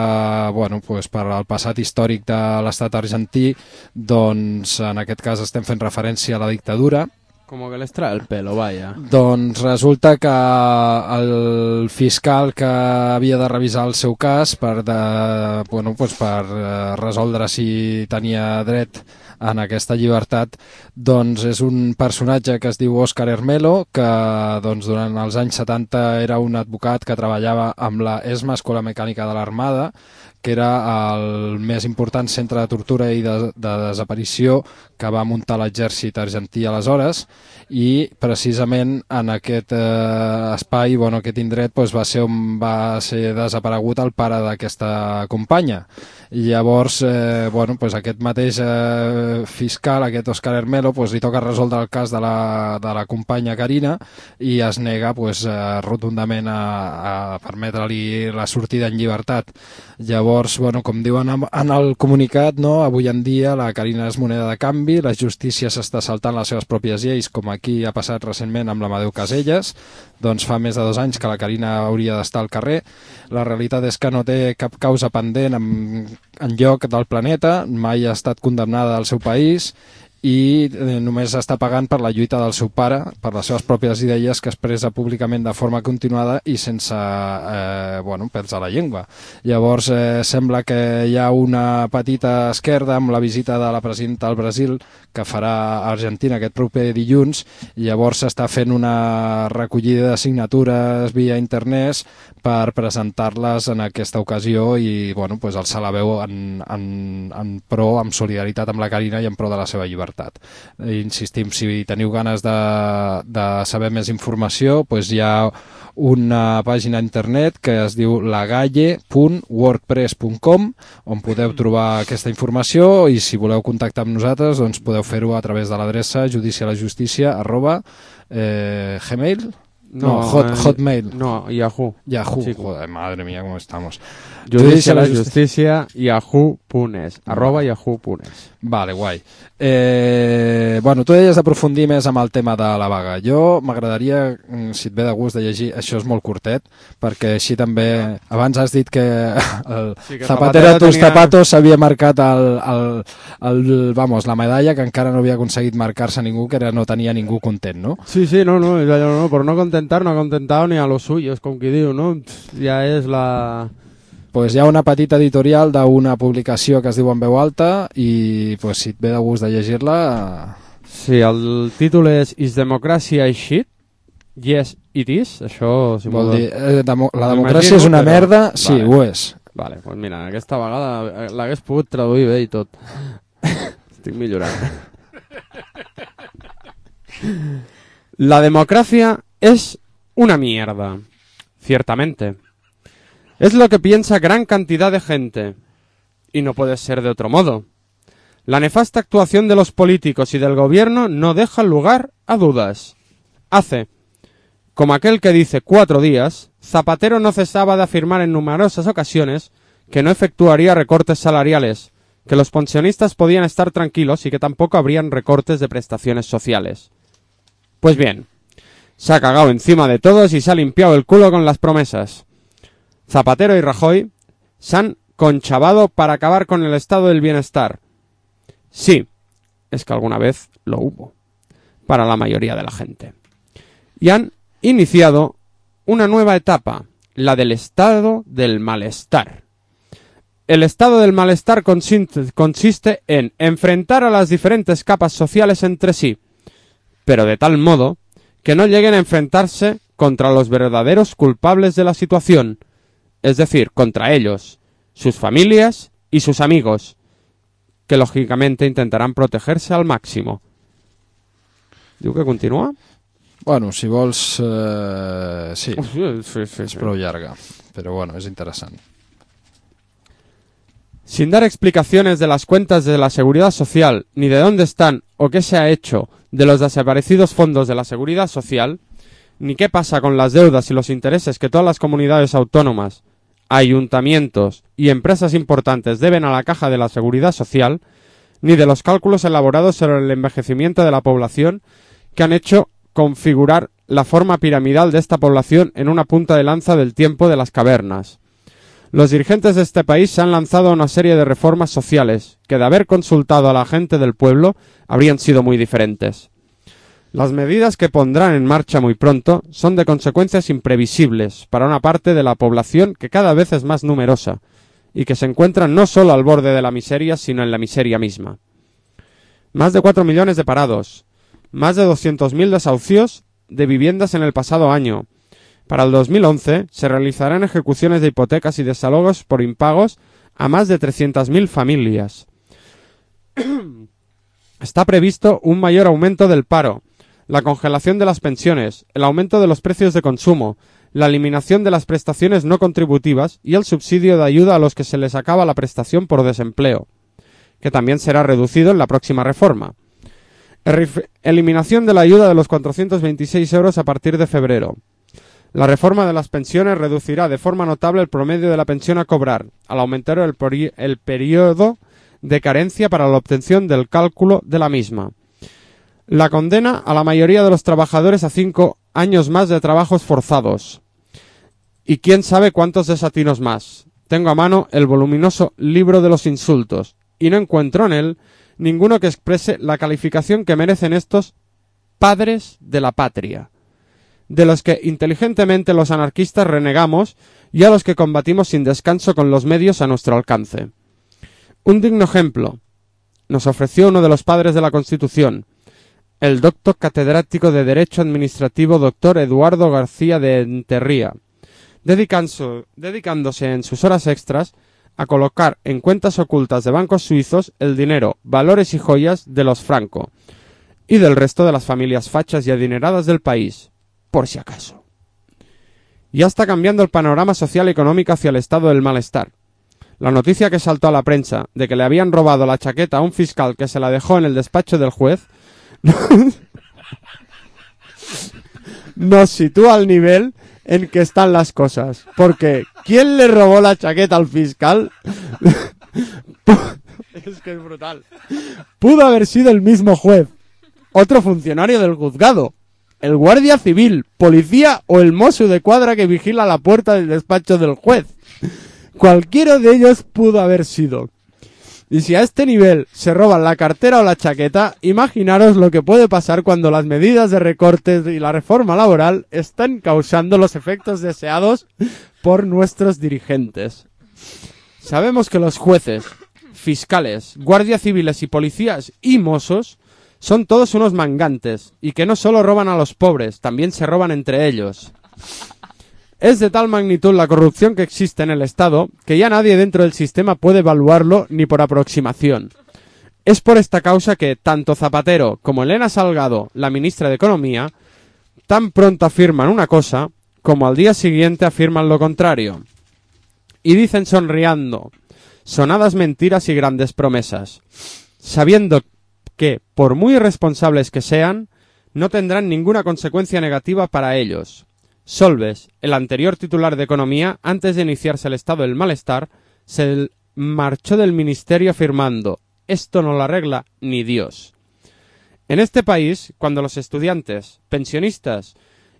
bueno, pues per al passat històric de l'estat argentí, doncs en aquest cas estem fent referència a la dictadura. Como que les trae el pelo, vaya. Doncs resulta que el fiscal que havia de revisar el seu cas per, de, bueno, pues per resoldre si tenia dret en aquesta llibertat, doncs és un personatge que es diu Óscar Hermelo, que doncs, durant els anys setanta era un advocat que treballava amb la ESMA, Escola Mecànica de l'Armada, que era el més important centre de tortura i de, de desaparició que va muntar l'exèrcit argentí aleshores, i precisament en aquest eh, espai, bueno, aquest indret, doncs, va ser on va ser desaparegut el pare d'aquesta companya. I llavors, eh, bueno, doncs aquest mateix eh, fiscal, aquest Óscar Hermelo, doncs, li toca resoldre el cas de la, de la companya Karina i es nega doncs, eh, rotundament a, a permetre-li la sortida en llibertat. Llavors, bueno, com diuen en el comunicat, no, avui en dia la Karina és moneda de canvi, la justícia s'està saltant les seves pròpies lleis, com aquí ha passat recentment amb l'Amadeu Caselles, doncs fa més de dos anys que la Karina hauria d'estar al carrer. La realitat és que no té cap causa pendent en, en lloc del planeta, mai ha estat condemnada al seu país i eh, només està pagant per la lluita del seu pare, per les seves pròpies idees que expressa públicament de forma continuada i sense eh, bueno, pèls a la llengua. Llavors eh, sembla que hi ha una petita esquerda amb la visita de la presidenta del Brasil que farà a Argentina aquest proper dilluns, i llavors s'està fent una recollida de signatures via internet per presentar-les en aquesta ocasió i bueno, pues, alçar la veu en, en, en pro, amb solidaritat amb la Karina i en pro de la seva llibertat. Insistim, si teniu ganes de, de saber més informació, doncs hi ha una pàgina internet que es diu lagalle punt wordpress punt com on podeu trobar aquesta informació, i si voleu contactar amb nosaltres doncs podeu fer-ho a través de l'adreça judicialasjustícia arroba eh, gmail no, no hot, eh, hotmail no, Yahoo Yahoo, sí. Joder, madre mía, ¿cómo estamos? Judicialasjustícia yahoo punt es arroba yahoo punt es. Vale, guai. Eh, bueno, tu deies d'aprofundir més amb el tema de la vaga. Jo m'agradaria, si et ve de gust, de llegir, això és molt curtet, perquè així també, abans has dit que el sí, que Zapatero a tus tenia... zapatos s'havia marcat el, el, el, vamos, la medalla que encara no havia aconseguit marcar-se ningú, que era, no tenia ningú content, no? Sí, sí, no, no, no, no, por no contentar, no ha contentado ni a los suyos, com qui diu, no? Ja és la... pues hi ha una petita editorial d'una publicació que es diu En veu alta i pues, si et ve de gust de llegir-la... Sí, el títol és Is Democracy a Shit? Yes, it is. Això... Si Vol vol... dir, eh, demo la democràcia és una però... merda? Sí, vale. ho és. Vale, doncs pues mira, aquesta vegada l'hagués pogut traduir bé i tot. Estic millorant. La democracia es una mierda. Ciertamente. Es lo que piensa gran cantidad de gente. Y no puede ser de otro modo. La nefasta actuación de los políticos y del gobierno no deja lugar a dudas. Hace, como aquel que dice cuatro días, Zapatero no cesaba de afirmar en numerosas ocasiones que no efectuaría recortes salariales, que los pensionistas podían estar tranquilos y que tampoco habrían recortes de prestaciones sociales. Pues bien, se ha cagado encima de todos y se ha limpiado el culo con las promesas. Zapatero y Rajoy se han conchavado para acabar con el estado del bienestar. Sí, es que alguna vez lo hubo, para la mayoría de la gente. Y han iniciado una nueva etapa, la del estado del malestar. El estado del malestar consiste, consiste en enfrentar a las diferentes capas sociales entre sí, pero de tal modo que no lleguen a enfrentarse contra los verdaderos culpables de la situación, es decir, contra ellos, sus familias y sus amigos, que lógicamente intentarán protegerse al máximo. ¿Diu que continúa? Bueno, si vols... Eh, sí, sí, sí, sí, és prou llarga, però bueno, és interessant. Sin dar explicaciones de las cuentas de la Seguridad Social, ni de dónde están o qué se ha hecho de los desaparecidos fondos de la Seguridad Social, ni qué pasa con las deudas y los intereses que todas las comunidades autónomas, ayuntamientos y empresas importantes deben a la caja de la Seguridad Social, ni de los cálculos elaborados sobre el envejecimiento de la población que han hecho configurar la forma piramidal de esta población en una punta de lanza del tiempo de las cavernas. Los dirigentes de este país se han lanzado a una serie de reformas sociales que, de haber consultado a la gente del pueblo, habrían sido muy diferentes. Las medidas que pondrán en marcha muy pronto son de consecuencias imprevisibles para una parte de la población que cada vez es más numerosa y que se encuentra no solo al borde de la miseria, sino en la miseria misma. Más de cuatro millones de parados, más de doscientos mil desahucios de viviendas en el pasado año. Para el dos mil once se realizarán ejecuciones de hipotecas y desalojos por impagos a más de trescientas mil familias. Está previsto un mayor aumento del paro, la congelación de las pensiones, el aumento de los precios de consumo, la eliminación de las prestaciones no contributivas y el subsidio de ayuda a los que se les acaba la prestación por desempleo, que también será reducido en la próxima reforma. Eliminación de la ayuda de los cuatrocientos veintiséis euros a partir de febrero. La reforma de las pensiones reducirá de forma notable el promedio de la pensión a cobrar, al aumentar el, el periodo de carencia para la obtención del cálculo de la misma. La condena a la mayoría de los trabajadores a cinco años más de trabajos forzados. Y quién sabe cuántos desatinos más. Tengo a mano el voluminoso libro de los insultos, y no encuentro en él ninguno que exprese la calificación que merecen estos padres de la patria, de los que inteligentemente los anarquistas renegamos y a los que combatimos sin descanso con los medios a nuestro alcance. Un digno ejemplo nos ofreció uno de los padres de la Constitución, el doctor catedrático de Derecho Administrativo doctor Eduardo García de Enterría, dedicándose en sus horas extras a colocar en cuentas ocultas de bancos suizos el dinero, valores y joyas de los Franco y del resto de las familias fachas y adineradas del país, por si acaso. Ya está cambiando el panorama social y económico hacia el estado del malestar. La noticia que saltó a la prensa de que le habían robado la chaqueta a un fiscal que se la dejó en el despacho del juez nos sitúa al nivel en que están las cosas. Porque ¿quién le robó la chaqueta al fiscal? Es que es brutal. Pudo haber sido el mismo juez, otro funcionario del juzgado, el guardia civil, policía o el mozo de cuadra que vigila la puerta del despacho del juez. Cualquiera de ellos pudo haber sido. Y si a este nivel se roban la cartera o la chaqueta, imaginaros lo que puede pasar cuando las medidas de recortes y la reforma laboral están causando los efectos deseados por nuestros dirigentes. Sabemos que los jueces, fiscales, guardias civiles y policías y mozos son todos unos mangantes y que no solo roban a los pobres, también se roban entre ellos. Es de tal magnitud la corrupción que existe en el Estado que ya nadie dentro del sistema puede evaluarlo ni por aproximación. Es por esta causa que tanto Zapatero como Elena Salgado, la ministra de Economía, tan pronto afirman una cosa como al día siguiente afirman lo contrario. Y dicen sonriendo, sonadas mentiras y grandes promesas, sabiendo que, por muy irresponsables que sean, no tendrán ninguna consecuencia negativa para ellos. Solbes, el anterior titular de Economía, antes de iniciarse el estado del malestar, se marchó del ministerio afirmando, esto no lo arregla ni Dios. En este país, cuando los estudiantes, pensionistas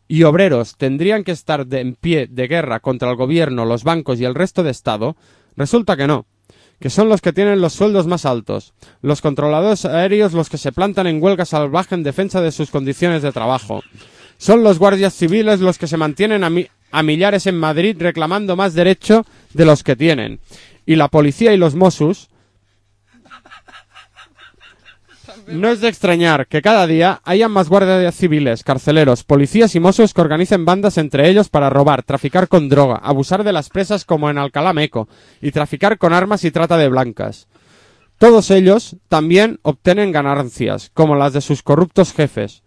y obreros tendrían que estar de en pie de guerra contra el gobierno, los bancos y el resto de Estado, resulta que no, que son los que tienen los sueldos más altos, los controladores aéreos los que se plantan en huelga salvaje en defensa de sus condiciones de trabajo. Son los guardias civiles los que se mantienen a, mi a millares en Madrid reclamando más derecho de los que tienen. Y la policía y los Mossos. No es de extrañar que cada día hayan más guardias civiles, carceleros, policías y mozos que organicen bandas entre ellos para robar, traficar con droga, abusar de las presas como en Alcalá Meco y traficar con armas y trata de blancas. Todos ellos también obtienen ganancias, como las de sus corruptos jefes,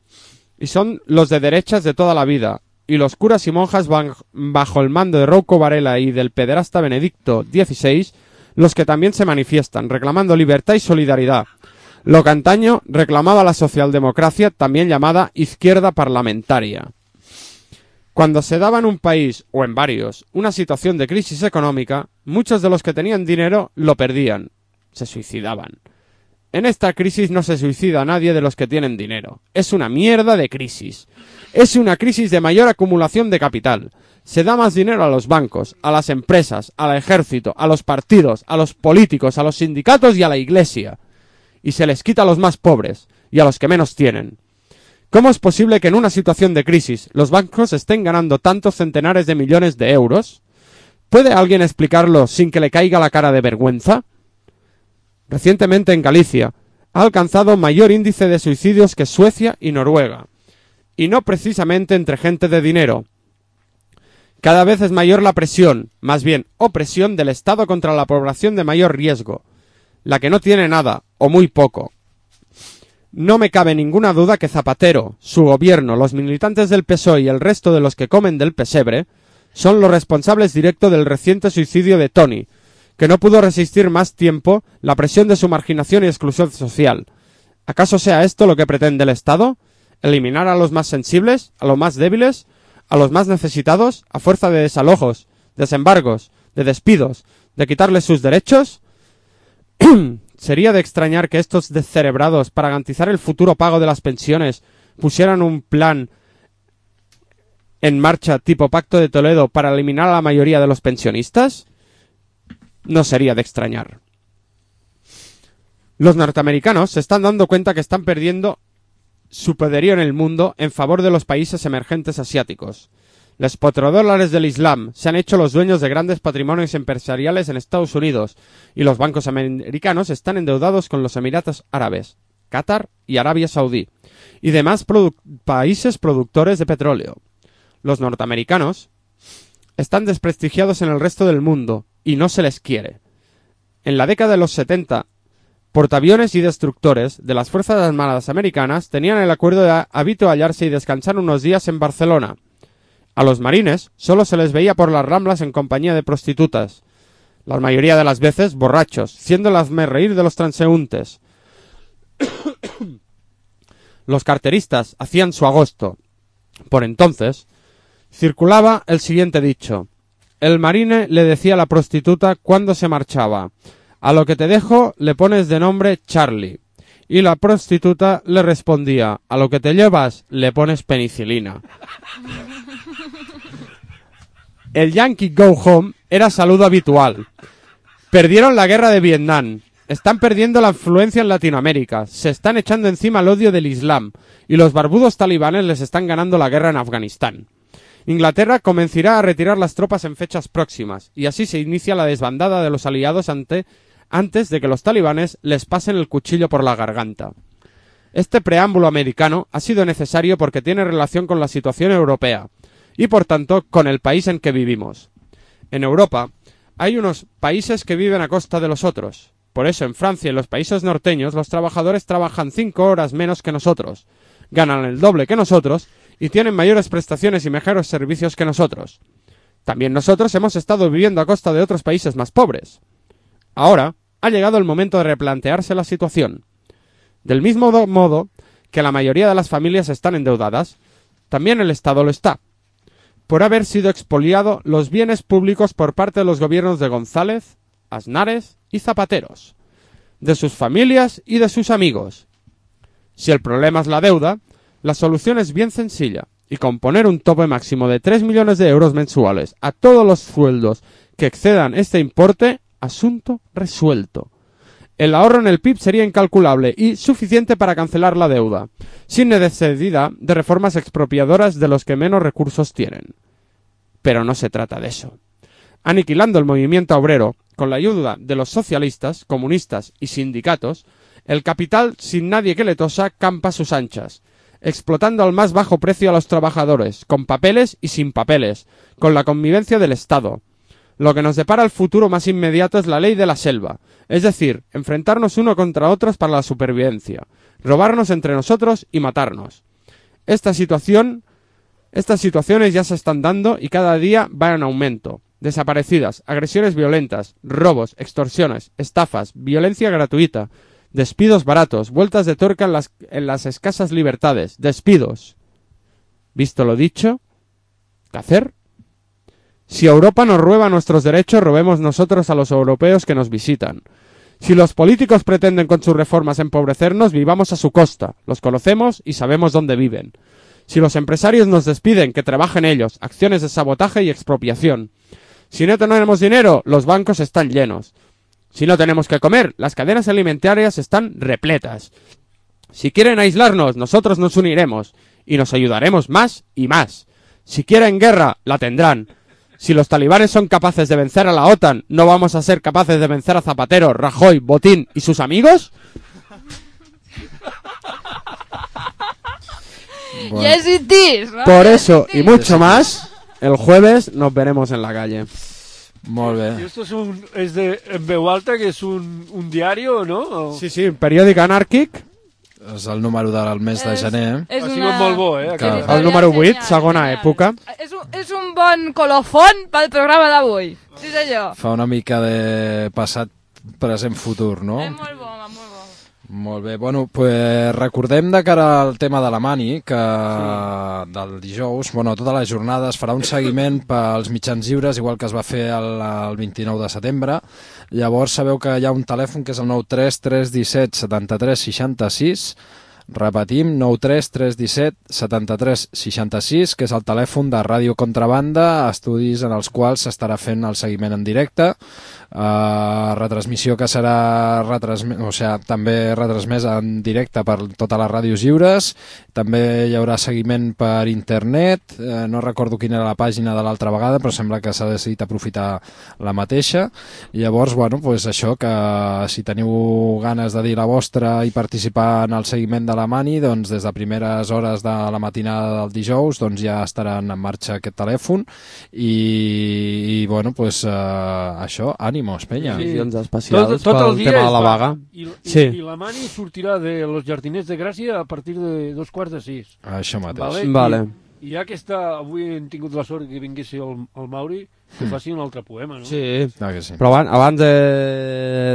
y son los de derechas de toda la vida, y los curas y monjas bajo el mando de Rouco Varela y del pederasta Benedicto dieciséis, los que también se manifiestan, reclamando libertad y solidaridad. Lo que antaño reclamaba la socialdemocracia, también llamada izquierda parlamentaria. Cuando se daba en un país, o en varios, una situación de crisis económica, muchos de los que tenían dinero lo perdían, se suicidaban. En esta crisis no se suicida a nadie de los que tienen dinero. Es una mierda de crisis. Es una crisis de mayor acumulación de capital. Se da más dinero a los bancos, a las empresas, al ejército, a los partidos, a los políticos, a los sindicatos y a la iglesia. Y se les quita a los más pobres y a los que menos tienen. ¿Cómo es posible que en una situación de crisis los bancos estén ganando tantos centenares de millones de euros? ¿Puede alguien explicarlo sin que le caiga la cara de vergüenza? Recientemente en Galicia ha alcanzado mayor índice de suicidios que Suecia y Noruega. Y no precisamente entre gente de dinero. Cada vez es mayor la presión, más bien opresión del Estado contra la población de mayor riesgo, la que no tiene nada, o muy poco. No me cabe ninguna duda que Zapatero, su gobierno, los militantes del P S O E y el resto de los que comen del pesebre son los responsables directos del reciente suicidio de Tony, que no pudo resistir más tiempo la presión de su marginación y exclusión social. ¿Acaso sea esto lo que pretende el Estado? ¿Eliminar a los más sensibles, a los más débiles, a los más necesitados, a fuerza de desalojos, desembargos, de despidos, de quitarles sus derechos? ¿Sería de extrañar que estos descerebrados, para garantizar el futuro pago de las pensiones, pusieran un plan en marcha tipo Pacto de Toledo para eliminar a la mayoría de los pensionistas? No sería de extrañar. Los norteamericanos se están dando cuenta que están perdiendo su poderío en el mundo en favor de los países emergentes asiáticos. Los petrodólares del Islam se han hecho los dueños de grandes patrimonios empresariales en Estados Unidos y los bancos americanos están endeudados con los Emiratos Árabes, Qatar y Arabia Saudí y demás produ- países productores de petróleo. Los norteamericanos están desprestigiados en el resto del mundo y no se les quiere. En la década de los setenta, portaaviones y destructores de las Fuerzas Armadas Americanas tenían el acuerdo de habituallarse y descansar unos días en Barcelona. A los marines solo se les veía por las ramblas en compañía de prostitutas, la mayoría de las veces borrachos, siendo el hazmerreír de los transeúntes. Los carteristas hacían su agosto. Por entonces, circulaba el siguiente dicho. El marine le decía a la prostituta cuando se marchaba, a lo que te dejo le pones de nombre Charlie. Y la prostituta le respondía, a lo que te llevas le pones penicilina. El Yankee Go Home era saludo habitual. Perdieron la guerra de Vietnam. Están perdiendo la influencia en Latinoamérica. Se están echando encima el odio del Islam. Y los barbudos talibanes les están ganando la guerra en Afganistán. Inglaterra comenzará a retirar las tropas en fechas próximas, y así se inicia la desbandada de los aliados ante, antes de que los talibanes les pasen el cuchillo por la garganta. Este preámbulo americano ha sido necesario porque tiene relación con la situación europea, y por tanto con el país en que vivimos. En Europa hay unos países que viven a costa de los otros. Por eso en Francia y en los países norteños los trabajadores trabajan cinco horas menos que nosotros, ganan el doble que nosotros y tienen mayores prestaciones y mejores servicios que nosotros. También nosotros hemos estado viviendo a costa de otros países más pobres. Ahora ha llegado el momento de replantearse la situación. Del mismo modo que la mayoría de las familias están endeudadas, también el Estado lo está, por haber sido expoliado los bienes públicos por parte de los gobiernos de González, Aznares y Zapateros, de sus familias y de sus amigos. Si el problema es la deuda, la solución es bien sencilla, y con poner un tope máximo de tres millones de euros mensuales a todos los sueldos que excedan este importe, asunto resuelto. El ahorro en el P I B sería incalculable y suficiente para cancelar la deuda, sin necesidad de reformas expropiadoras de los que menos recursos tienen. Pero no se trata de eso. Aniquilando el movimiento obrero, con la ayuda de los socialistas, comunistas y sindicatos, el capital, sin nadie que le tosa, campa a sus anchas, explotando al más bajo precio a los trabajadores, con papeles y sin papeles, con la connivencia del Estado. Lo que nos depara el futuro más inmediato es la ley de la selva, es decir, enfrentarnos uno contra otros para la supervivencia, robarnos entre nosotros y matarnos. Esta situación, estas situaciones ya se están dando y cada día van en aumento. Desaparecidas, agresiones violentas, robos, extorsiones, estafas, violencia gratuita, despidos baratos, vueltas de tuerca en las, en las escasas libertades, despidos. Visto lo dicho, ¿qué hacer? Si Europa nos roba nuestros derechos, robemos nosotros a los europeos que nos visitan. Si los políticos pretenden con sus reformas empobrecernos, vivamos a su costa, los conocemos y sabemos dónde viven. Si los empresarios nos despiden, que trabajen ellos, acciones de sabotaje y expropiación. Si no tenemos dinero, los bancos están llenos. Si no tenemos que comer, las cadenas alimentarias están repletas. Si quieren aislarnos, nosotros nos uniremos y nos ayudaremos más y más. Si quieren guerra, la tendrán. Si los talibanes son capaces de vencer a la OTAN, ¿no vamos a ser capaces de vencer a Zapatero, Rajoy, Botín y sus amigos? Bueno. Ya existís, ¿no? Por eso y mucho más, el jueves nos veremos en la calle. Molt bé. I esto es un, es de en veu alta, que és un, un diario, no? O... Sí, sí, periòdic anàrquic. És el número del mes de gener. És ha sigut molt bo, eh? Que... El número vuit, segona època. És un, és un bon colofon pel programa d'avui. Sí, senyor. Fa una mica de passat, present, futur, no? És molt bo, molt bo. Molt bé, bueno, pues recordem de cara al tema de la Mani, que sí. Del dijous, bueno, tota la jornada es farà un seguiment pels mitjans lliures, igual que es va fer el, el vint-i-nou de setembre. Llavors sabeu que hi ha un telèfon que és el nou tres tres un set setanta tres seixanta sis, repetim, nou tres tres un set setanta tres seixanta sis, que és el telèfon de Ràdio Contrabanda, estudis en els quals s'estarà fent el seguiment en directe, uh, retransmissió que serà retransm... o sigui, també retransmesa en directe per totes les ràdios lliures, també hi haurà seguiment per internet, uh, no recordo quina era la pàgina de l'altra vegada, però sembla que s'ha decidit aprofitar la mateixa, i llavors, bueno, pues això, que si teniu ganes de dir la vostra i participar en el seguiment de la Mani, doncs des de primeres hores de la matinada del dijous doncs ja estaran en marxa aquest telèfon i, i bueno, pues uh, això, ànimos, penya. Sí. Especials tot, tot el pel dia tema de la vaga. I, i, sí. I la Mani sortirà de los Jardiners de Gràcia a partir de dos quarts de sis. Això mateix. Vale? Vale. I, I ja que està, avui hem tingut la sort que vingués el, el Mauri, que mm. faci un altre poema, no? Sí, ah, que sí. Però abans, abans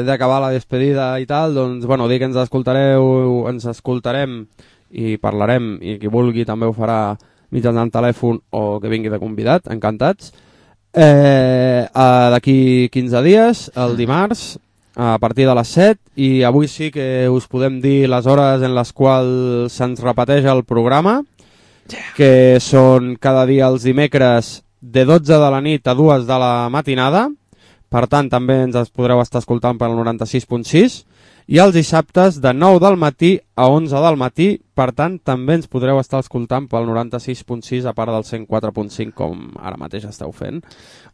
d'acabar la despedida i tal, doncs, bueno, dir que ens escoltareu, ens escoltarem i parlarem, i qui vulgui també ho farà mitjançant telèfon o que vingui de convidat, encantats. Eh, d'aquí quinze dies, el dimarts, a partir de les set, i avui sí que us podem dir les hores en les quals se'ns repeteix el programa, que són cada dia els dimecres de dotze de la nit a dues de la matinada, per tant també ens podreu estar escoltant per al noranta-sis punt sis, i els dissabtes de nou del matí a onze del matí, per tant també ens podreu estar escoltant pel noranta-sis punt sis a part del cent quatre punt cinc com ara mateix esteu fent,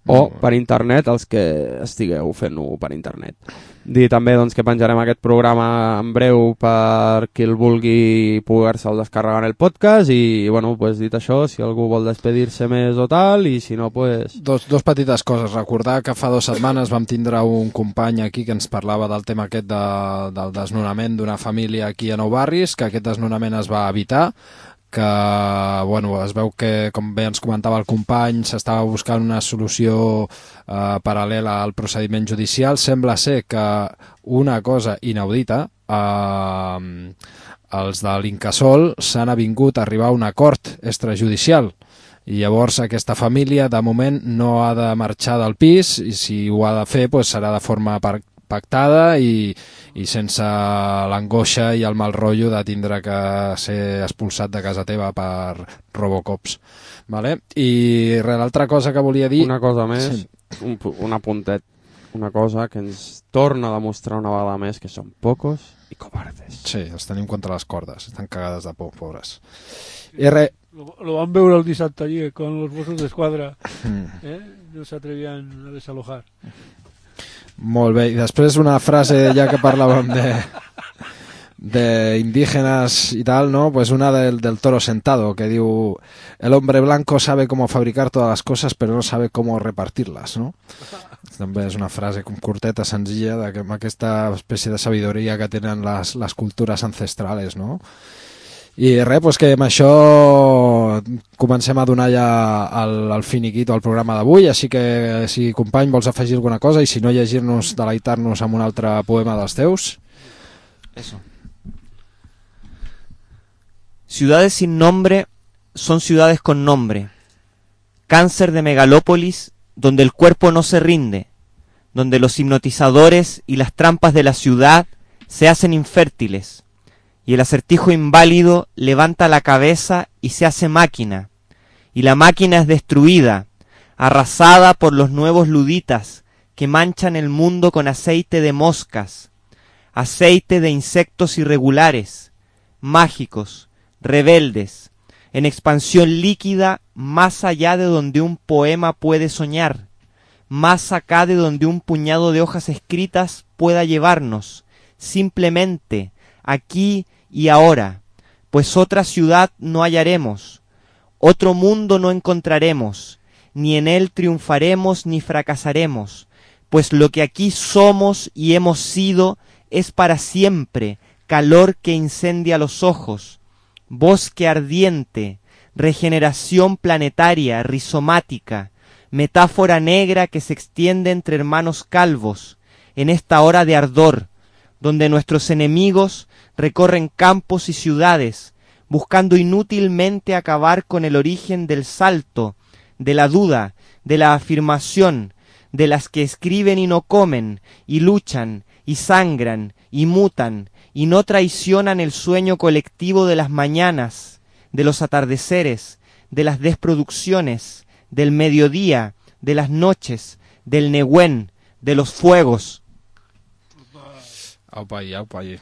o per internet els que estigueu fent-ho per internet. Dir també doncs, que penjarem aquest programa en breu per qui el vulgui poder-se'l descarregar en el podcast i bueno, pues, dit això, si algú vol despedir-se més o tal, i si no, pues... Dos, dos petites coses. Recordar que fa dues setmanes vam tindre un company aquí que ens parlava del tema aquest de, del desnonament d'una família aquí a Nou Barris, que aquest desnonament es va evitar, que bueno, es veu que, com bé ens comentava el company, s'estava buscant una solució eh, paral·lela al procediment judicial. Sembla ser que una cosa inaudita, eh, els de l'Incasòl s'han avingut a arribar a un acord extrajudicial i llavors aquesta família de moment no ha de marxar del pis i si ho ha de fer pues, serà de forma par pactada i, i sense l'angoixa i el mal rotllo de tindre que ser expulsat de casa teva per Robocops. Vale? I l'altra cosa que volia dir... Una cosa més, sí. un, un apuntet, una cosa que ens torna a demostrar una vegada més que són pocos i cobardes. Sí, els tenim contra les cordes, estan cagades de por, pobres. I re... Lo, lo van veure el dissabte allí con los Mossos d'Esquadra, mm. eh? No s'atrevien a desalojar. Molt bé, i després una frase ja que parlàvem de, de indígenas y tal, ¿no? Pues una del, del Toro Sentado que diu: el hombre blanco sabe cómo fabricar todas las cosas pero no sabe cómo repartirlas, ¿no? També és una frase curteta, senzilla, de que, amb aquesta espècie de sabidoria que tenen les, les cultures ancestrales, no? I res, pues que amb això comencem a donar ja el, el finiquito al programa d'avui, així que si company vols afegir alguna cosa i si no llegir-nos, deleitar-nos amb un altre poema dels teus. Eso. Ciudades sin nombre son ciudades con nombre. Cáncer de megalópolis donde el cuerpo no se rinde, donde los hipnotizadores y las trampas de la ciudad se hacen infértiles. Y el acertijo inválido levanta la cabeza y se hace máquina, y la máquina es destruida, arrasada por los nuevos luditas que manchan el mundo con aceite de moscas, aceite de insectos irregulares, mágicos, rebeldes, en expansión líquida más allá de donde un poema puede soñar, más acá de donde un puñado de hojas escritas pueda llevarnos, simplemente aquí y ahora, pues otra ciudad no hallaremos, otro mundo no encontraremos, ni en él triunfaremos ni fracasaremos, pues lo que aquí somos y hemos sido es para siempre calor que incendia los ojos, bosque ardiente, regeneración planetaria, rizomática, metáfora negra que se extiende entre hermanos calvos, en esta hora de ardor, donde nuestros enemigos recorren campos y ciudades, buscando inútilmente acabar con el origen del salto, de la duda, de la afirmación, de las que escriben y no comen, y luchan, y sangran, y mutan, y no traicionan el sueño colectivo de las mañanas, de los atardeceres, de las desproducciones, del mediodía, de las noches, del Nehuen, de los fuegos. Aupa allí, aupa allí.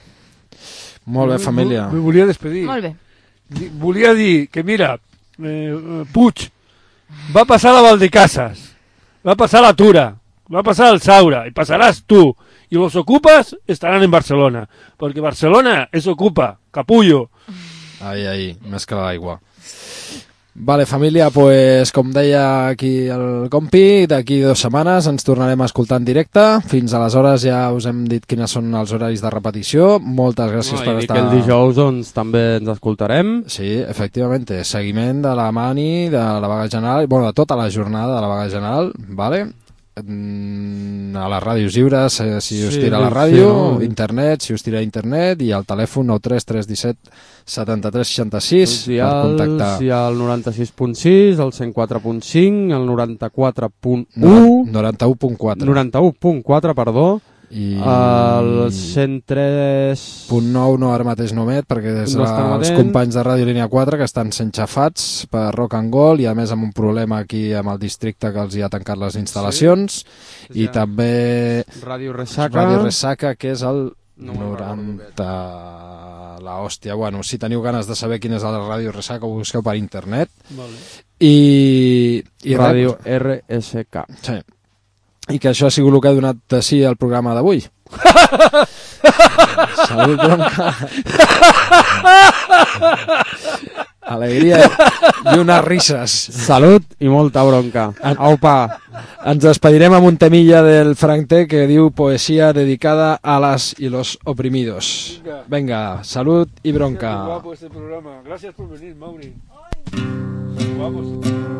Molt bé, família. Me volia despedir. Molt bé. Volia dir que, mira, eh, Puig va passar a la Valdecasas, va passar a la Tura, va passar al Saura, i passaràs tu. I los ocupes estaran en Barcelona, perquè Barcelona es ocupa, capullo. Ai, ai, més que l'aigua. Vale, família, pues, com deia aquí el compi, d'aquí dues setmanes ens tornarem a escoltar en directe. Fins aleshores ja us hem dit quines són els horaris de repetició. Moltes gràcies no, per i estar... I que el dijous doncs, també ens escoltarem. Sí, efectivament, seguiment de la mani, de la vaga general, bueno, de tota la jornada de la vaga general, vale? A les ràdios lliures, eh, si us sí, tira la ràdio, sí, no? internet, si us tira internet, i al telèfon nou tres tres un set setanta-tres seixanta-sis per contactar. Hi ha el noranta-sis punt sis, el cent quatre punt cinc, el noranta-quatre punt u... noranta-u punt quatre. noranta-u punt quatre, perdó. I el cent tres punt nou no ara mateix no emet perquè és no els companys de Ràdio Línia quatre que estan sent xafats per Rock and Gold i a més amb un problema aquí amb el districte que els hi ha tancat les instal·lacions, sí. I ja. També Ràdio Ressaca Ràdio Ressaca que és el noranta la hòstia. Bueno, si teniu ganes de saber quina és la Ràdio Ressaca, ho busqueu per internet. Vale. I... i Ràdio R S K. Sí. I que això ha sigut el que ha donat de sí al programa d'avui. Salut, bronca. Alegria i unes risses. Salut i molta bronca. Aupa. Ens despedirem amb un temilla del Frank T que diu poesía dedicada a las y los oprimidos. Venga, Venga salut y bronca. Qué guapo este programa. Gracias por venir, Mauri. Qué guapo este programa.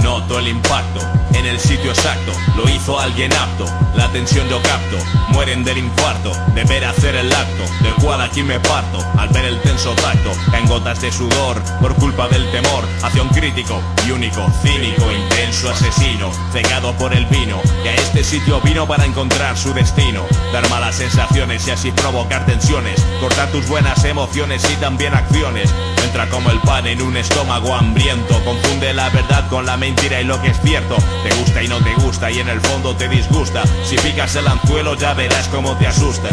Noto el impacto en el sitio exacto, lo hizo alguien apto, la atención yo capto, mueren del infarto, de ver hacer el acto, del cual aquí me parto, al ver el tenso tacto, caen gotas de sudor, por culpa del temor, hacia un crítico y único, cínico, intenso asesino, cegado por el vino, que a este sitio vino para encontrar su destino, dar malas sensaciones y así provocar tensiones, cortar tus buenas emociones y también acciones, entra como el pan en un estómago hambriento, confunde la verdad con la mentira y lo que es cierto, te gusta y no te gusta y en el fondo te disgusta, si picas el anzuelo ya verás cómo te asusta.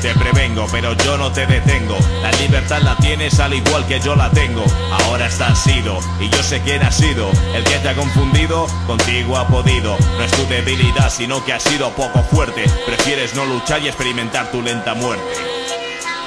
Te prevengo, pero yo no te detengo, la libertad la tienes al igual que yo la tengo, ahora estás sido, y yo sé quién ha sido, el que te ha confundido, contigo ha podido, no es tu debilidad sino que has sido poco fuerte, prefieres no luchar y experimentar tu lenta muerte.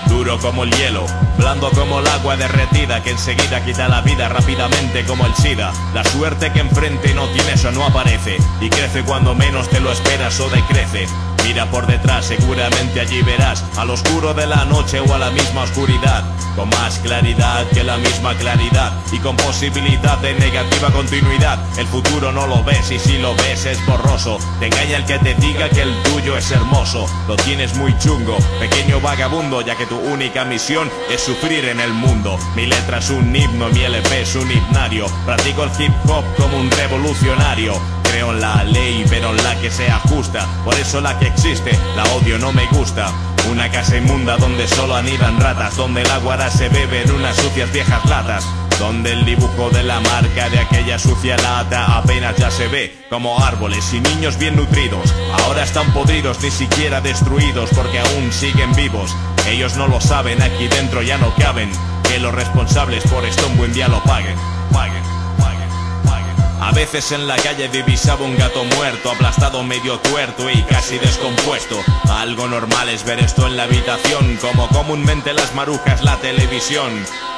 Duro como el hielo, blando como el agua derretida que enseguida quita la vida rápidamente como el SIDA. La suerte que enfrente no tienes o no aparece y crece cuando menos te lo esperas o decrece. Mira por detrás, seguramente allí verás al oscuro de la noche o a la misma oscuridad, con más claridad que la misma claridad y con posibilidad de negativa continuidad. El futuro no lo ves y si lo ves es borroso, te engaña el que te diga que el tuyo es hermoso. Lo tienes muy chungo, pequeño vagabundo, ya que tu única misión es sufrir en el mundo. Mi letra es un himno, mi L P es un himnario, practico el hip hop como un revolucionario. Creo en la ley, pero en la que sea justa, por eso la que existe, la odio, no me gusta. Una casa inmunda donde solo anidan ratas, donde el agua se bebe en unas sucias viejas latas, donde el dibujo de la marca de aquella sucia lata apenas ya se ve, como árboles y niños bien nutridos. Ahora están podridos, ni siquiera destruidos, porque aún siguen vivos. Ellos no lo saben, aquí dentro ya no caben, que los responsables por esto un buen día lo paguen, paguen. A veces en la calle divisaba un gato muerto, aplastado, medio tuerto y casi descompuesto. Algo normal es ver esto en la habitación, como comúnmente las marujas la televisión.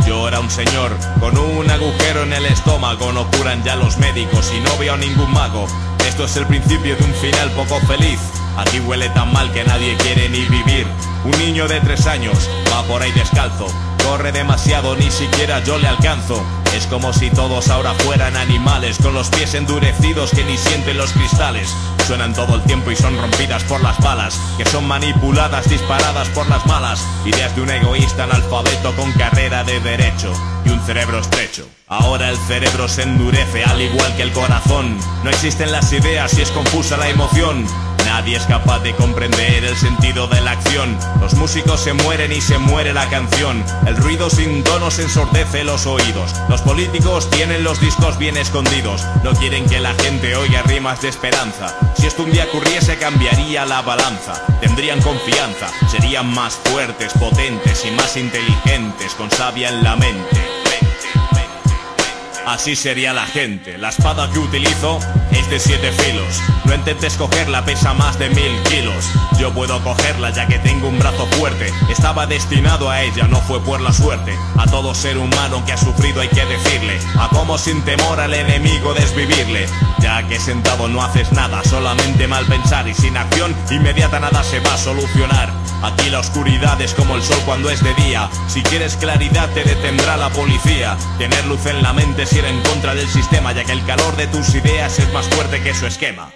Llora un señor con un agujero en el estómago, no curan ya los médicos y no veo a ningún mago. Esto es el principio de un final poco feliz. Aquí huele tan mal que nadie quiere ni vivir. Un niño de tres años va por ahí descalzo, corre demasiado, ni siquiera yo le alcanzo. Es como si todos ahora fueran animales, con los pies endurecidos que ni sienten los cristales. Suenan todo el tiempo y son rompidas por las balas, que son manipuladas, disparadas por las malas. Ideas de un egoísta analfabeto con carrera de derecho y un cerebro estrecho. Ahora el cerebro se endurece al igual que el corazón. No existen las ideas y es confusa la emoción. Nadie es capaz de comprender el sentido de la acción. Los músicos se mueren y se muere la canción. El ruido sin tonos ensordece los oídos. Los políticos tienen los discos bien escondidos. No quieren que la gente oiga rimas de esperanza. Si esto un día ocurriese cambiaría la balanza. Tendrían confianza, serían más fuertes, potentes y más inteligentes, con savia en la mente. Así sería la gente. La espada que utilizo es de siete filos. No intentes cogerla, pesa más de mil kilos. Yo puedo cogerla ya que tengo un brazo fuerte. Estaba destinado a ella, no fue por la suerte. A todo ser humano que ha sufrido hay que decirle a cómo sin temor al enemigo desvivirle. Ya que sentado no haces nada, solamente mal pensar y sin acción inmediata nada se va a solucionar. Aquí la oscuridad es como el sol cuando es de día. Si quieres claridad te detendrá la policía. Tener luz en la mente es ir en contra del sistema, ya que el calor de tus ideas es más fuerte que su esquema.